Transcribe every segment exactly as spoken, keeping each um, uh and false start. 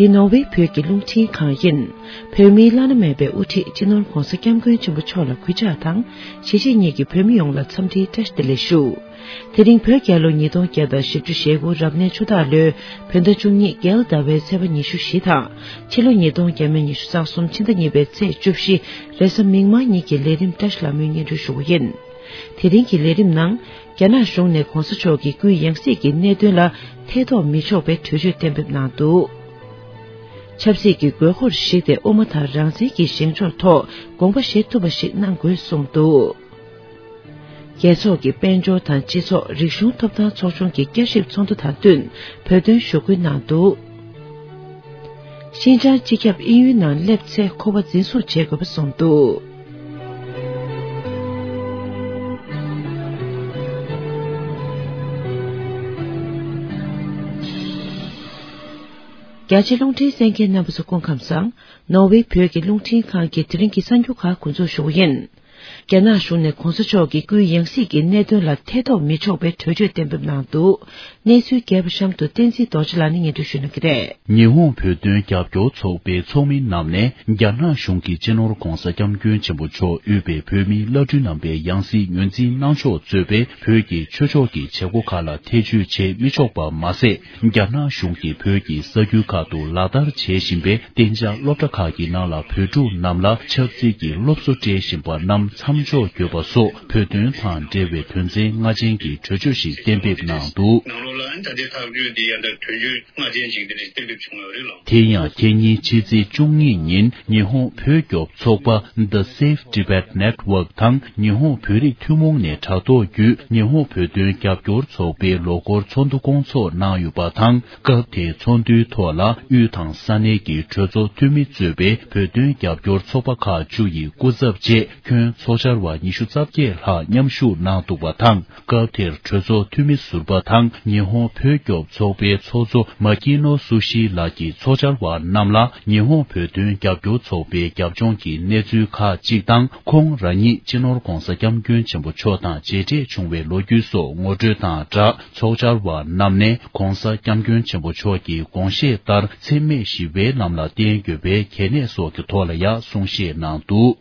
འདི་ནོར་ཝེ་བོད་ཀྱི་རླུང་འཕྲིན་ཁང་ཡིན། བོད་མིའི་བླ་ན་མེད་པའི་དབུ་ཁྲིད་སྤྱི་ནོར་ྋགོང་ས་ྋསྐྱབས་མགོན་ཆེན་པོ་མཆོག་ལ་གུས་ཕྱག་དང་། གཞིས་བྱེས་གཉིས་ཀྱི་བོད་མི་ཡོངས་ལ་འཚམས་འདྲིའི་བཀྲ་ཤིས་བདེ་ལེགས་ཞུ། དེ་རིང་བོད་རྒྱལ་ལོ་ཉིས་སྟོང་བརྒྱ་དང་བཞི་བཅུ་ཞེ་དགུ་རབ་གནས་ཆུ་སྟག་ལོའི་བོད་ཟླ་བཅུ་གཉིས་རྒྱལ་ཟླ་བའི་ཚེས་པ་ཉི་ཤུ་བཞི་དང་། ཕྱི་ལོ་ཉིས་སྟོང་བརྒྱ་མེད་ཉི་ཤུ་རྩ་གསུམ་ཕྱི་ཟླ་གཉིས་པའི་ཚེས་བཅུ་བཞི་རེས་གཟའ་མིག་དམར་ཉིན་གྱི་ལས་རིམ་བཀྲ་ཤིས་ལྷ་མོའི་སྙན་སྒྲོན་ཞུ་རྒྱུ་ཡིན། དེ་རིང་གི་ལས་རིམ་ནང་། རྒྱ་ནག་གཞུང་ནས་ྋགོང་ས་མཆོག་གི་སྐུའི་ཡང་སྲིད་ཀྱི་གནད་དོན་ལ་ཐེ་གཏོགས་མི་ཆོག་པའི་གྲོས་ཆོད་གཏན་འབེབས་གནང་འདུག་ཆབ་སྲིད་ཀྱི་དགོས་མཁོར་གཞིགས་ཏེ་དབུ་མ་དང་རང་བཙན་གྱི་བཞེངས་ཕྱོགས་ཐོག་དགོངས་པ་བཞེས་ཐུབ་པ་ཞིག་གནང་དགོས་གསུངས་འདུག་རྒྱལ་ཚོགས་ཀྱི་དཔལ་འབྱོར་དང་སྤྱི་ཚོགས་རིག་གཞུང་ཐོབ་ཐང་ཚོགས་ཆུང་གི་བསྐྱར་ཞིབ་ཚོགས་འདུ་དང་བསྟུན་བོད་དོན་ཞུ་སྐུལ་གནང་འདུག་ཤིན་ཅང་སྤྱི་ཁྱབ་དབྱིན་ཡུལ་ནང་སླེབས་ཚེ་ཁོ་པ་འཛིན་བཟུང་བྱེད་དགོས་པ་གསུངས་འདུག་རྒྱ་ཆེ་རླུང་འཕྲིན་གསན་མཁན་རྣམ་པ་ཚོ་སྐུ་ཁམས་བཟང་། ནོར་ཝེ་བོད་ཀྱི་རླུང་འཕྲིན་ཁང་གི་དེ་རིང་གི་གསར་འགྱུར་ཁག་འགོ་འཛུགས་ཞུ་གི་ཡིན། རྒྱ་ནག་གཞུང་ནས་ྋགོང་ས་མཆོག་གི་སྐུའི་ཡང་སྲིད་ཀྱི་གནད་དོན་ལ་ཐེ་གཏོགས་མི་ཆོག་པའི་གྲོས་ཆོད་གཏན་འབེབས་གནང་འདུག་གནས་ཚུལ་རྒྱས་པ་གཤམ་དུ་བསྟན་འཛིན་རྡོ་རྗེ་ལགས་ནས་སྙན་སྒྲོན་ཞུ་གནང་གི་རེད། ཉི་ཧོང་བོད་དོན་རྒྱབ་སྐྱོར་ཚོགས་པའི་ཚོགས་མི་རྣམས་ནས་རྒྱ་ནག་གཞུང་གིས་སྤྱི་ནོར་ྋགོང་ས་ྋསྐྱབས་མགོན་ཆེན་པོ་མཆོག་དབུས་པའི་བོད་མིའི་བླ་སྤྲུལ་རྣམ་པའི་ཡང་སྲིད་ངོས་འཛིན་གནང་ཕྱོགས་གཙོས་པའི་བོད་ཀྱི་ཆོས་ཕྱོགས་ཀྱི་བྱེད་སྒོ་ཁག་ལ་ཐེ་བྱུས་བྱེད་མི་ཆོག་པ་མ་ཟད། རྒྱ་ནག་གཞུང་གིས་བོད་ཀྱི་ས་ཁུལ་ཁག་ཏུ་ལག་བསྟར་བྱེད་བཞིན་པའི་གཏན་འཇགས་སློབ་གྲྭ་ཁག་གི་ནང་ལ་བོད་ཕྲུག་རྣམས་ལ་ཆབ་སྲིད་ཀྱི་སློབ་གསོ་སྤྲད་བཞིན་པ་རྣམས་མཚམས་འཇོག་དགོས་པ་སོགས་བོད་དོན་དང་འབྲེལ་བའི་དོན་ཚན་ལྔ་ཅན་གྱི་གྲོས་ཆོད་ཞིག་གཏན་འབེབས་གནང་འདུག་ནང་ལོགས་ལ་ཨ་ནི་ད་ལྟའི་ཐག་གཅོད་འདི་ཡང་ད་གྲོས་ཆོད་ལྔ་ཅན་ཞིག་འདི་ནས་གཏན་འབེབས་བྱུང་ཡོད་རེད་ལགས། དེ་ཡང་ཁེ་ཉིན་ཕྱི་ཚེས་བཅུ་གཉིས་ཉིན་ཉི་ཧོང་བོད་སྐྱོབ་ཚོགས་པ་The Save Tibet Network དང་ཉི་ཧོང་བོད་རིགས་ཐུན་མོང་ནས་དྲ་ཐོག་བརྒྱུད་ཉི་ཧོང་བོད་དོན་རྒྱབ་སྐྱོར་ཚོགས་པའི་ལོ་འཁོར་ཚོགས་འདུ་སྐོང་ཚོགས་གནང་ཡོད་པ་དང་། སྐབས་དེའི་ཚོགས་འདུའི་ཐོག་ལ་དབུས་དང་ས་གནས་ཀྱི་གྲོས་ཚོགས་འཐུས་མི་གཙོས་པའི་བོད་དོན་རྒྱབ་སྐྱོར་ཚོགས་པ་ཁག་བཅུ་ཡི་སྐུ་ཚབ་བཅས་ཁྱོན་ཚོགས་བཅར་བ་ཉི་ཤུ་རྩ་བརྒྱད་ལྷག་མཉམ་ཞུགས་གནང་འདུག་པ་དང་། སྐབས་དེར་གྲོས་ཚོགས་འཐུས་མི་ཟུར་པ་དང་ཉི་ཧོང་བོད་སྐྱོབ་ཚོགས་པའི་ཚོགས་གཙོ་མ་ཀི་ནོ་སུ་ཤི་ལགས་ཀྱིས་ཚོགས་བཅར་བ་རྣམས་ལ་ཉི་ཧོང་བོད་དོན་རྒྱབ་སྐྱོར་ཚོགས་པའི་རྒྱབ་ལྗོངས་ཀྱི་གནས་ཚུལ་ཁག་ཅིག་དང་། ཁོང་རང་ཉིད་སྤྱི་ནོར་ྋགོང་ས་ྋསྐྱབས་མགོན་ཆེན་པོ་མཆོག་དང་མཇལ་འཕྲད་བྱུང་བའི་ལོ་རྒྱུས་སོགས་ངོ་སྤྲོད་དང་སྦྲགས། ཚོགས་བཅར་བ་རྣམས་ནས་ྋགོང་ས་ྋསྐྱབས་མགོན་ཆེན་པོ་མཆོག་གི་དགོངས་བཞེད་ལྟར་འཚེ་མེད་ཞི་བའི་ལམ་ལ་བརྟེན་དགོས་པའི་གལ་གནད་སོགས་ཀྱི་ཐོག་ལ་ཡང་གསུང་བཤད་གནང་འདུག་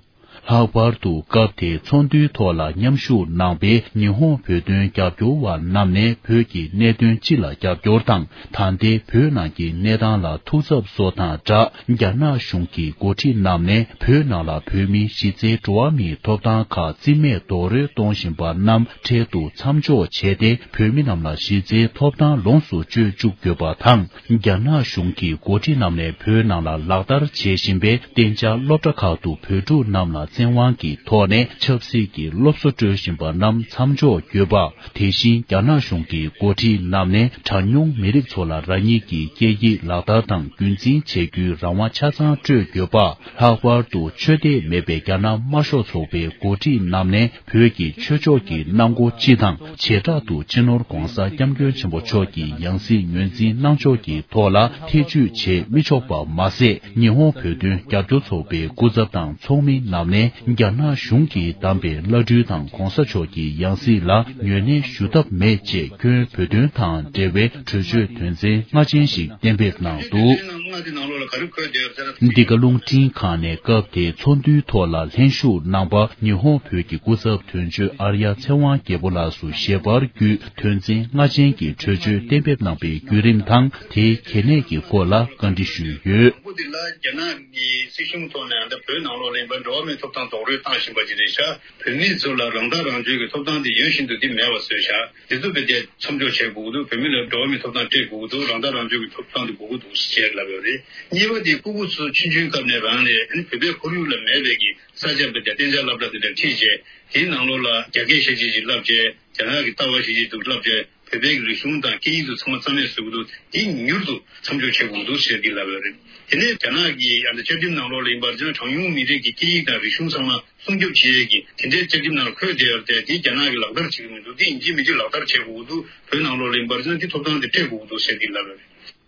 ལྷག་པར་དུ་སྐབས་དེའི་ཚོགས་འདུའི་ཐོག་ལ་མཉམ་ཞུགས་གནང་པའི་ཉི་ཧོང་བོད་དོན་རྒྱབ་སྐྱོར་བ་རྣམས་ནས་བོད་ཀྱི་གནད་དོན་སྤྱི་ལ་རྒྱབ་སྐྱོར་དང་། ད་ལྟའི་བོད་ནང་གི་གནས་སྟངས་ལ་ཐུགས་འཚབ་སོགས་དང་སྦྲགས། རྒྱ་ནག་གཞུང་གི་འགོ་ཁྲིད་རྣམས་ནས་བོད་ནང་ལ་བོད་མིའི་གཞི་རྩའི་འགྲོ་བ་མིའི་ཐོབ་ཐང་ཁག་རྩིས་མེད་རྡོག་རོལ་གཏོང་བཞིན་པ་རྣམས་འཕྲལ་དུ་མཚམས་འཇོག་བྱས་ཏེ། བོད་མི་རྣམས་ལ་གཞི་རྩའི་ཐོབ་ཐང་ལོངས་སུ་སྤྱོད་བཅུག་དགོས་པ་དང་། རྒྱ་ནག་གཞུང་གི་འགོ་ཁྲིད་རྣམས་ནས་བོད་ནང་ལ་ལག་བསྟར་བྱེད་བཞིན་པའི་གཏན་འཇགས་སློབ་གྲྭ་ཁག་ཏུ་བོད་ཕྲུག་རྣམས་ལ་བཙན་དབང་གི་ཐོག་ནས་ཆབ་སྲིད་ཀྱི་སློབ་གསོ་སྤྲོད་བཞིན་པ་རྣམས་མཚམས་འཇོག་དགོས་པ། དེ་བཞིན་རྒྱ་ནག་གཞུང་གི་འགོ་ཁྲིད་རྣམས་ནས་གྲངས་ཉུང་མི་རིགས་ཚོ་ལ་རང་ཉིད་ཀྱི་སྐད་ཡིག་ལག་བསྟར་དང་རྒྱུན་འཛིན་བྱེད་རྒྱུའི་རང་དབང་ཆ་ཚང་སྤྲོད་དགོས་པ། ལྷག་པར་དུ་ཆོས་དད་མེད་པའི་རྒྱ་ནག་དམར་ཤོག་ཚོགས་པའི་འགོ་ཁྲིད་རྣམས་ནས་བོད་ཀྱི་ཆོས་ཕྱོགས་ཀྱི་གནང་སྒོ་སྤྱི་དང་། བྱེ་བྲག་ཏུ་སྤྱི་ནོར་༧གོང་ས་༧སྐྱབས་མགོན་ཆེན་པོ་མཆོག་གི་ཡང་སྲིད་ངོས་འཛིན་གནང་ཕྱོགས་ཀྱི་ཐོག་ལ་ཐེ་བྱུས་བྱེད་མི་ཆོག་པ་མ་ཟད། ཉི་ཧོང་བོད་དོན་རྒྱབ་སྐྱོར་ཚོགས་པའི་སྐུ་ཚབ་དང་ཚོགས་མི་རྣམས་ནས་རྒྱ་ནག་གཞུང་གིས་བདམས་པའི་བླ་སྤྲུལ་དང་༧གོང་ས་མཆོག་གི་ཡང་སྲིད་ལ་ངོས་ལེན་ཞུ་ཐབས་མེད་ཅེས་ཁྱོན་བོད་དོན་དང་འབྲེལ་བའི་གྲོས་ཆོད་དོན་ཚན་ལྔ་ཅན་ཞིག་གཏན་འབེབས་གནང་འདུག་ལྔ་དེ་ནང་ལོགས་ལ་ག་རེ་འཁོད་བསྡད་ཡོད་ཟེར་ན། འདི་ག་རླུང་འཕྲིན་ཁང་ནས་སྐབས་དེའི་ཚོགས་འདུའི་ཐོག་ལ་ལྷན་ཞུགས་གནང་པ་ཉི་ཧོང་བོད་ཀྱི་སྐུ་ཚབ་དོན་གཅོད་ཨར་ཡ་ཚེ་དབང་རྒྱལ་པོ་ལགས་སུ་ཞལ་པར་བརྒྱུད་དོན་ཚན་ལྔ་ཅན་གྱི་གྲོས་ཆོད་གཏན་འབེབས་གནང་པའི་བརྒྱུད་རིམ་དང་དེའི་གལ་གནད་ཀྱི་སྐོར་ལ་བཀའ་འདྲི་ཞུས་ཡོད། ལོ་འདི་ལ་རྒྱ་ནག་གི་སྲིད་གཞུང་ཐོག་ནས་ད་བོད་ནང་ལོགས་ལ་ཡིན་པ་འགྲོ་བ་མིའི་ཐོབ་ཐང་རྡོག་རོལ་བཏང་བཞིན་པ་ཅིག་རེད་ཤག་བོད་མི་ཚོ་ལ་རང་ཐག་རང་གཅོད་ཀྱི་ཐོབ་ཐང་དེ་ཡོད་བཞིན་དུ་དེ་མེད་པ་བཟོས་ཤག་དེ་ཚོ་བེད་སྤྱད་མཚམས་འཇོག་བྱེད་དགོས་ཀྱི་འདུག་བོད་མི་ལ་འགྲོ་བ་མིའི་ཐོབ་ཐང་སྤྲད་དགོས་ཀྱི་འདུག་རང་ཐག་རང་གཅོད་ཀྱི་ཐོབ་ཐང་དེ་དགོས་ཀྱི་འདུག་ཞེས་ལབ་ཡོད་རེད། གཉིས་པ་དེ་སྤུ་གུ་ཚོ་ཆུང་ཆུང་སྐབས་ནས་རང་ནས་ཨ་ནི་བོད་པའི་ཁོར་ཡུག་ལ་མེད་པའི་གི་ས་ཆ་བེད་སྤྱད་གཏན་འཇགས་སློབ་གྲྭ་དེ་འདྲ་ཁྲིད་བྱས་དེའི་ནང་ལོགས་ལ་རྒྱ་སྐད་ཤེས་བྱེད་ཅིག་བསླབ་བྱས་རྒྱ་ནག་གི་ལྟ་བ་ཤེས་བྱེད་ཅིག་བསླབ་བྱས་བོད་པའི་གི་རིག་གཞུང་དང་སྐད་ཡིག་ཚོ་ཚང་མ་རྩ་མེད་བཟོ་གི་འདུག་དེ་མྱུར་དུ་མཚམས་འཇོག་བྱེད་དགོས་ཀྱི་འདུག་ཟེར་གི་ལབ་ཡོད་རེད། དེ་ནས་རྒྱ་ནག་གི་ཨ་ནི་བཅའ་ཁྲིམས་ནང་ལོགས་ལ་ཡིན་པར་བྱས་ན་གྲངས་ཉུང་མི་རིགས་ཀྱི་སྐད་ཡིག་དང་རིག་གཞུང་ཚང་མ་སྲུང་སྐྱོབ་བྱེད་ཡས་ཀྱི་དེ་འདྲའི་བཅའ་ཁྲིམས་ནང་འཁོད་བསྡད་ཡོད་རེད་དེ། དེ་རྒྱ་ནག་གིས་ལག་བསྟར་བྱེད་ཀྱི་མི་འདུག་དེ་ཡིན་གཅིག་མིན་གཅིག་ལག་བསྟར་བྱེད་དགོས་ཀྱི་འདུག་བོད་ནང་ལོགས་ལ་ཡིན་པར་བྱས་ན་དེ་ཐོབ་ཐང་དེ་སྤྲད་དགོས་ཀྱི་འདུག་ཟེར་གྱི་ལབ་ཡོད་རེད།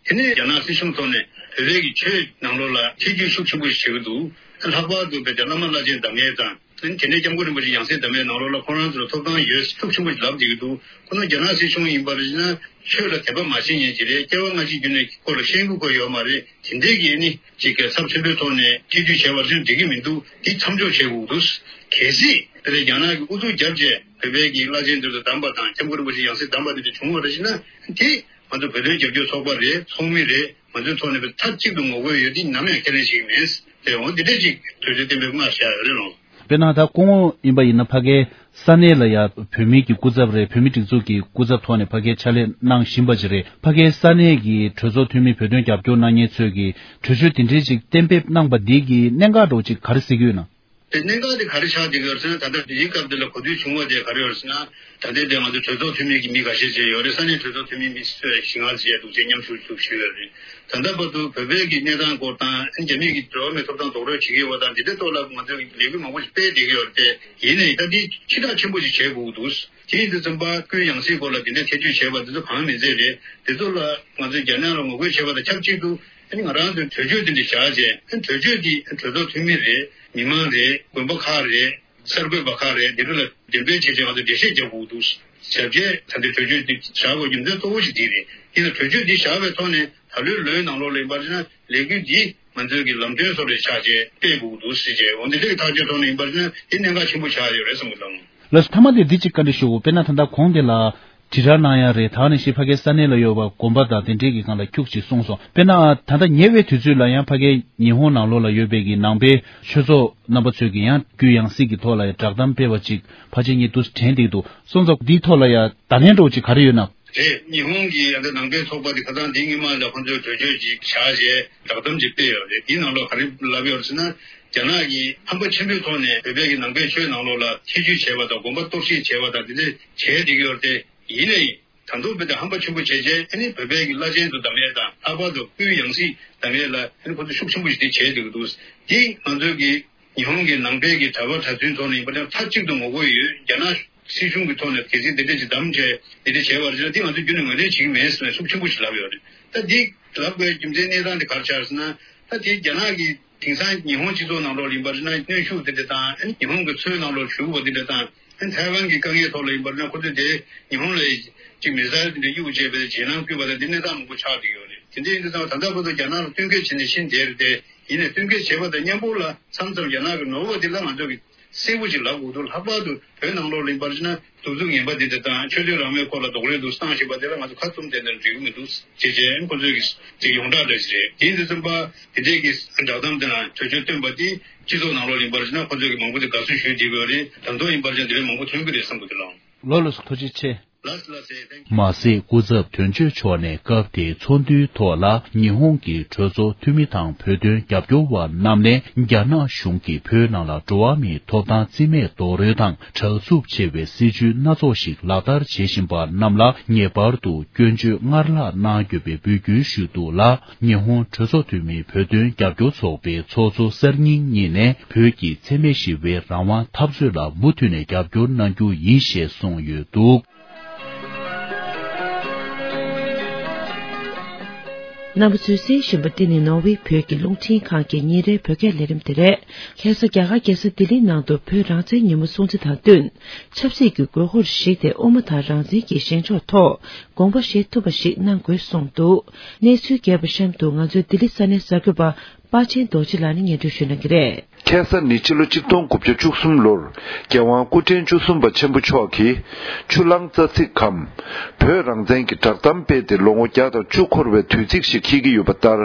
དེ་ནས་རྒྱ་ནག་སྲིད་གཞུང་ཐོག་ནས་བོད་པའི་གི་ཆོས་ནང་ལོགས་ལ་ཐེ་བྱུས་ཤུགས་ཆེན་པོ་ཞིག་བྱེད་ཀྱི་འདུག་ལྷག་པར་དུ་བོད་དེ་བླ་མ་བླ་ཆེན་འདམ་ངེས་དང་ དེ་ནས་སྐྱབས་མགོན་རིན་པོ་ཆེ་ཡང་སྲིད་བདམས་པའི་ནང་ལོགས་ལ་ཁོ་རང་ཚོ་ལ་ཐོབ་ཐང་ཡོད་ཤུགས་ཆེན་པོ་ཞིག་ལབ་བསྡད་ཀྱི་འདུག་ཁོ་ན་རྒྱ་ནག་སྲིད་གཞུང་ཡིན་པར་བྱས་ན་ཆོས་ལ་དད་པ་མ་བྱེད་མཁན་ཅིག་རེད། སྐྱེ་བ་སྔ་ཕྱི་རྒྱུ་ནས་ཁོ་ལ་ཤེས་ཀྱི་ཁོ་ཡོད་མ་རེད། དེ་འདྲའི་གི་ནི་ཅིག་གི་ཚབས་ཆེན་པོའི་ཐོག་ནས་སྐྱིད་སྡུག་བྱས་པར་བྱས་ན་འགྲིག་གི་མི་འདུག་དེ་མཚམས་འཇོག་བྱེད་དགོས་འདུག་གལ་སྲིད་དེ་ལས་རྒྱ་ནག་གི་ཨུ་ཚུགས་བརྒྱབ་བྱས་བོད་པའི་གི་བླ་ཆེན་དེ་ཚོ་བདམས་པ་དང་སྐྱབས་མགོན་རིན་པོ་ཆེ་ཡང་སྲིད་བདམས་པ་དེ་འདྲ་བྱུང་བ་རེད་ཟེར་ན། དེ་ང་ཚོ་བོད་དོན་རྒྱབ་སྐྱོར་ཚོགས་པ་རེད། ཚོགས་མི་རེད། ང་ཚོའི་ཐོག་ནས་མཐའ་གཅིག་ཏུ་ངོ་རྒོལ་ཡོད། དེ་ནམ་ཡང་ཁས་ལེན་བྱེད་ཀྱི་མེད། དེ་འོ་འདི་འདྲ་ཅིག་གྲོས་ཆོད་བཏོན་པའི་སྔ་བཞག་ཡོད་རེད་ལོ། དཔེར་ན་ད་སྐུ་ངོ་ཡིན་པ་ཡིན་ན་ཕ་གའི་ས་གནས་ལ་ཡ་བོད་མི་གི་སྐུ་ཚབ་རེད། བོད་མི་སྒྲིག་འཛུགས་ཀྱི་སྐུ་ཚབ་ཐོག་ནས་ཕ་གའི་ཕྱག་ལས་གནང་བཞིན་པ་ཅིག་རེད། ཕ་གའི་ས་གནས་ཀྱི་གྲོས་ཚོགས་འཐུས་མི་བོད་དོན་རྒྱབ་སྐྱོར་གནང་མཁན་ཚོས་ཀྱི་གྲོས་ཆོད་དེ་འདྲའི་ཅིག་གཏན་འབེབས་གནང་པ་འདི་གི་གནད་འགག་འདྲ་བོ་ཅིག་ག་རེ་གཟིགས་ཀྱི་ཡོད་ན། དེ་གནད་འགག་དེ་ག་རེ་ཆགས་བསྡད་ཀྱི་ཡོད་ཟེར་ན། ད་ལྟ་དེའི་སྐབས་དེ་ལ་གོ་ཐོས་བྱུང་བ་དེ་ག་རེ་ཡོད་ཟེར་ན། ད་ལྟའི་དེ་ང་ཚོ་གྲོས་ཚོགས་འཐུས་མི་གི་མི་འགའ་ཤས་བྱས་ཡོད་རེད། ས་གནས་གྲོས་ཚོགས་འཐུས་མི་མི་བཞི་ལྔ་བྱས་འདུག་ཅེས་མཉམ་ཞུགས་ཞུགས་བྱས་ཡོད་རེད། ད་ལྟ་བར་དུ་བོད་པའི་གི་གནས་སྟངས་སྐོར་དང་རྒྱ་མི་གི་འགྲོ་བ་མིའི་ཐོབ་ཐང་རྡོག་རོལ་བྱེད་ཀྱི་ཡོད་པ་དང་དེ་འདྲའི་ཐོག་ལ་ང་ཚོས་ལས་འགུལ་མང་པོ་ཞིག་སྤེལ་བསྡད་ཀྱི་ཡོད་རེད། དེ་ཡིན་ནའི་ད་འདི་ཕྱི་བསྒྲགས་ཆེན་པོ་ཞིག་བྱེད་དགོས་ཀྱི་འདུག་དེ་ཡིན་དུས་ཙམ་པ་སྐུའི་ཡང་སྲིད་སྐོར་ལ་དེ་འདྲའི་ཐེ་བྱུས་བྱས་པ་དེ་ཚོ་གང་མིན་ཚད་རེད། དེ་ཚོ་ལ་ང་ཚོས་རྒྱ་ནག་ལ་ངོ་རྒོལ་བྱས་པ་དང་ཆབས་ཅིག་ཏུ། ཨ་ནི་ང་རང་ཚོའི་གྲོས་ཆོད་དེ་འདྲ་བཞག་བྱས། ཨ་ནི་གྲོས་ཆོད་འདི་གྲོས་ཚོགས་འཐུས་མི་རེད། མི་མང་རེད། དགོན་པ་ཁག་རེད། གསར་འགོད་པ་ཁག་རེད། འདི་འདྲ་ལ་འགྲེམས་སྤེལ་བྱས་བྱས་ང་ཚོ་འགྲེལ་བཤད་རྒྱག་དགོས་འདུག་བྱས་རྗེས་ད་ལྟའི་གྲོས་ཆོད་འདི་བཞག་དགོས་རྒྱུ་མཚན་གཙོ་བོ་ཞིག་འདི་རེད། ཡིན་ན་གྲོས་ཆོད་འདི་བཞག་པའི་ཐོག་ནས་ད་ལོའི་ལོའི་ནང་ལོགས་ལ་ཡིན་པར་བྱས་ན་ལས་འགུལ་འདི་ང་ཚོའི་གི་ལམ་སྟོན་བཟོ་འདྲ་ཆགས་བྱས་སྤེལ་དགོས་འདུག་ཟེར་བྱས། འོ་འདི་འདྲའི་ཐག་གཅོད་ཐོག་ནས་ཡིན་པར་བྱས་ན་དེ་གནད་འགག་ཆེན་པོ་ཆགས་ཡོད་རེད་བསམ་གི་འདུག་ལགས་སོ། མཐའ་མ་དེ་འདི་གཅིག་བཀའ་འདྲི་ཞུ། དཔེར་ན་ད་ལྟ་གོང་དེ་ལ་དྲིལ་བསྒྲགས་གནང་ཡ་རེད། ད་ནི་ཞེས་ཕ་གའི་ས་གནས་ལ་ཡོད་པ་དགོན་པ་དང་དེ་འདྲའི་གི་སྒང་ལ་ཁྱུག་ཅིག་གསུངས་སོང་། དཔེར་ན་ད་ལྟ་ཉེ་བའི་དུས་ཚོད་ལ་ཡང་ཕ་གའི་ཉི་ཧོང་ནང་ལོགས་ལ་ཡོད་པའི་གི་ནང་པའི་ཆོས་ཚོགས་རྣམ་པ་ཚོས་ཀྱི་ཡང་སྐུའི་ཡང་སྲིད་ཀྱི་ཐོག་ལ་ཡང་བསྒྲགས་གཏམ་སྤེལ་བ་ཅིག་ཕལ་ཆེར་ངས་འདུག་དྲན་བསྡད་འདུག་སོང་ཙང་འདིའི་ཐོག་ལ་ཡང་བརྡ་ལན་འདྲ་བོ་ཅིག་ག་རེ་ཡོད་ན། རེད། ཉི་ཧོང་གི་ཡང་ད་ནང་པའི་ཚོགས་པ་དེ་ཁ་སང་འདི་སྔོན་མ་ལ་ཁོ་ཚོས་གྲོས་ཆོད་ཅིག་བཞག་རྗེས་བསྒྲགས་གཏམ་ཅིག་སྤེལ་ཡོད་རེད། དེའི་ནང་ལོགས་ག་རེ་ལབ་ཡོད་རེད་ཟེར་ན། རྒྱ་ནག་གིས་ཧམ་པ་ཆེན་པོའི་ཐོག་ནས་བོད་པའི་གི་ནང་པའི་ཆོས་ནང་ལོགས་ལ་ཐེ་བྱུས་བྱས་པ་དང་དགོན་པ་གཏོར་བཤིག་བྱས་པ་དང་དེ་འདྲ་བྱས་བསྡད་ཀྱི་ཡོད་རེད་དེ། ཡིན་ནའི་ད་དུང་བོད་དེ་ཧམ་པ་ཆེན་པོ་བྱས་རྗེས་ཨ་ནི་བོད་པའི་གི་བླ་ཆེན་དུ་བདམས་ཡས་དང་ལྷག་པར་དུ་སྐུའི་ཡང་སྲིད་བདམས་ཡས་ལ་ཨ་ནི་ཁོ་ཚོ་ཤུགས་ཆེན་པོ་ཞིག་དེ་བྱས་བསྡད་ཀྱི་འདུག་དེ་ང་ཚོའི་གི་ཉི་ཧོང་གི་ནང་པའི་གི་གྲྭ་པ་གྲྭ་བཙུན་ཚོ་ནས་ཡིན་པ་ན་མཐའ་གཅིག་ཏུ་ངོ་རྒོལ་ཡོད། རྒྱ་ནག་སྲིད་གཞུང་གི་ཐོག་ནས་གལ་སྲིད་འདི་འདྲ་ཅིག་བདམས་བྱས་འདི་འདྲ་བྱས་པར་བྱས་ན་དེ་ང་ཚོ་རྒྱུན་ནས་ངོས་ལེན་བྱེད་ཀྱི་མེད་ཟེར་ནས་ཤུགས་ཆེན་པོ་ཞིག་ལབ་ཡོད་རེད། ད་འདི་ལབ་དགོས་རྒྱུ་མཚན་གནས་སྟངས་དེ་ག་རེ་ཆགས་ཟེར་ན། ད་དེ་རྒྱ་ནག་གི་དེང་སང་ཉི་ཧོང་སྤྱི་ཚོགས་ནང་ལོགས་ཡིན་པར་བྱས་ན་གནོན་ཤུགས་དེ་འདྲ་དང་ཨ་ནི་ཉི་ཧོང་གི་མཚོའི་ནང་ལོགས་ཞུགས་པ་དེ་འདྲ་དང་ཨ་ནི་ཐའེ་ཝན་གྱི་དཀའ་ངལ་ཐོག་ལ་ཡིན་པར་བྱས་ན་ཁོ་ཚོས་དེ་ཉི་ཧོང་ལ་ཅིག་མི་སེལ་དེ་འདྲ་གཡུག་བྱས་པའི་རྗེས་གནང་བསྐུལ་བ་དང་དེ་གནས་སྟངས་མང་པོ་ཆགས་བསྡད་ཡོད་རེད། དེ་འདྲ་ཡིན་དུས་ཙང་ད་ལྟ་བར་དུ་རྒྱ་ནག་ལ་བསྟུན་མཁས་བྱས་ནས་ཕྱིན་བསྡད་རེད་དེ། ཡིན་ནའི་བསྟུན་མཁས་བྱས་པ་དང་མཉམ་པོ་ལ་མཚམས་མཚམས་རྒྱ་ནག་གི་ནོར་བ་དེ་ལ་ང་ཚོ་གི་གསལ་པོ་ཅིག་ལབ་དགོས་འདུག་ལྷག་པར་དུ་བོད་ནང་ལོགས་ལ་ཡིན་པར་བྱས་ན་གདུག་རྩུབ་ངན་པ་འདི་འདྲ་དང་ཆོས་དད་རང་མོས་སྐོར་ལ་རྡོག་རོལ་འདུག་བཏང་བཞིན་པ་དེ་ལ་ང་ཚོ་ཁ་བཙུམ་བསྡད་ན་འགྲིག་གི་མི་འདུག་ཅེས་བྱས་ཁོ་ཚོས་ཀྱི་ཅིག་ཡོངས་གྲགས་འདྲ་ཞིག་རེད། དེ་ཡིན་དུས་ཙམ་པ་དེ་འདྲས་ཀྱི་བསྒྲགས་གཏམ་དེ་དང་གྲོས་ཆོད་བཏོན་པ་དེ་སྤྱི་ཚོགས་ནང་ལོགས་ལ་ཡིན་པར་བྱས་ན་ཁོ་ཚོས་ཀྱི་མང་པོ་དེ་དགའ་བསུ་ཞུས་བསྡད་ཡོད་རེད། ད་དུང་ཡིན་པར་བྱས་ན་དེ་འདྲས་མང་པོ་ཐོན་གྱི་རེད་བསམ་གྱི་འདུག་ལགས། ལགས་ལགས་སོ། ཐུགས་རྗེ་ཆེ། ལགས་ལགས་སེ། མ་ཟད་སྐུ་ཚབ་དོན་གཅོད་མཆོག་ནས་སྐབས་དེའི་ཚོགས་འདུའི་ཐོག་ལ་ཉི་ཧོང་གི་གྲོས་ཚོགས་འཐུས་མི་དང་བོད་དོན་རྒྱབ་སྐྱོར་བ་རྣམས་ནས་རྒྱ་ནག་གཞུང་གིས་བོད་ནང་ལ་འགྲོ་བ་མིའི་ཐོབ་ཐང་རྩིས་མེད་རྡོག་རོལ་དང་དྲག་རྩུབ་ཆེ་བའི་སྲིད་བྱུས་སྣ་ཚོགས་ཤིག་ལག་བསྟར་བྱེད་བཞིན་པ་རྣམས་ལ་ངེས་པར་དུ་སྐྱོན་བརྗོད་སྔར་ལྷག་གནང་དགོས་པའི་འབོད་སྐུལ་ཞུས་འདུག་ལ། ཉི་ཧོང་གྲོས་ཚོགས་འཐུས་མིའི་བོད་དོན་རྒྱབ་སྐྱོར་ཚོགས་པའི་ཚོགས་གཙོ་གསར་རྙིང་གཉིས་ནས་བོད་ཀྱི་འཚེ་མེད་ཞི་བའི་རང་དབང་འཐབ་རྩོད་ལ་མུ་མཐུད་ནས་རྒྱབ་སྐྱོར་གནང་རྒྱུ་ཡིན་ཞེས་གསུངས་ཡོད་འདུག་རྣམ་པ་ཚོས་གསན་བཞིན་པ་འདི་ནི་ནོར་ཝེ་བོད་ཀྱི་རླུང་འཕྲིན་ཁང་གི་ཉིན་རེའི་བོད་སྐད་ལས་རིམ་དེ་རེད། ཁ་སང་རྒྱ་གར་རྒྱལ་ས་ལྡི་ལིའི་ནང་དུ་བོད་རང་བཙན་ཉིན་མོ་སྲུང་བརྩི་དང་བསྟུན། ཆབ་སྲིད་ཀྱི་དགོས་མཁོར་གཞིགས་ཏེ་དབུ་མ་དང་རང་བཙན་གྱི་བཞེངས་ཕྱོགས་ཐོག་དགོངས་པ་བཞེས་ཐུབ་པ་ཞིག་གནང་དགོས་གསུངས་འདུག་གནས་ཚུལ་རྒྱས་པ་གཤམ་དུ་ང་ཚོའི་ལྡི་ལི་ས་གནས་གསར་འགོད་པ་དཔལ་ཆེན་རྡོ་རྗེ་ལགས་ནས་སྙན་སྒྲོན་ཞུ་གནང་གི་རེད། ཁ་སང་ནི་ཕྱི་ལོ་ཆིག་སྟོང་དགུ་བརྒྱ་བཅུ་གསུམ་ལོར་རྒྱལ་དབང་སྐུ་ཕྲེང་བཅུ་གསུམ་པ་ཆེན་པོ་མཆོག་གིས་ཆུ་གླང་རྩ་ཚིག་གམ་བོད་རང་བཙན་གྱི་བསྒྲགས་གཏམ་སྤེལ་ཏེ་ལོ་ངོ་བརྒྱ་དང་བཅུ་འཁོར་བའི་དུས་ཚིགས་ཤིག་འཁེལ་གྱི་ཡོད་པ་ལྟར།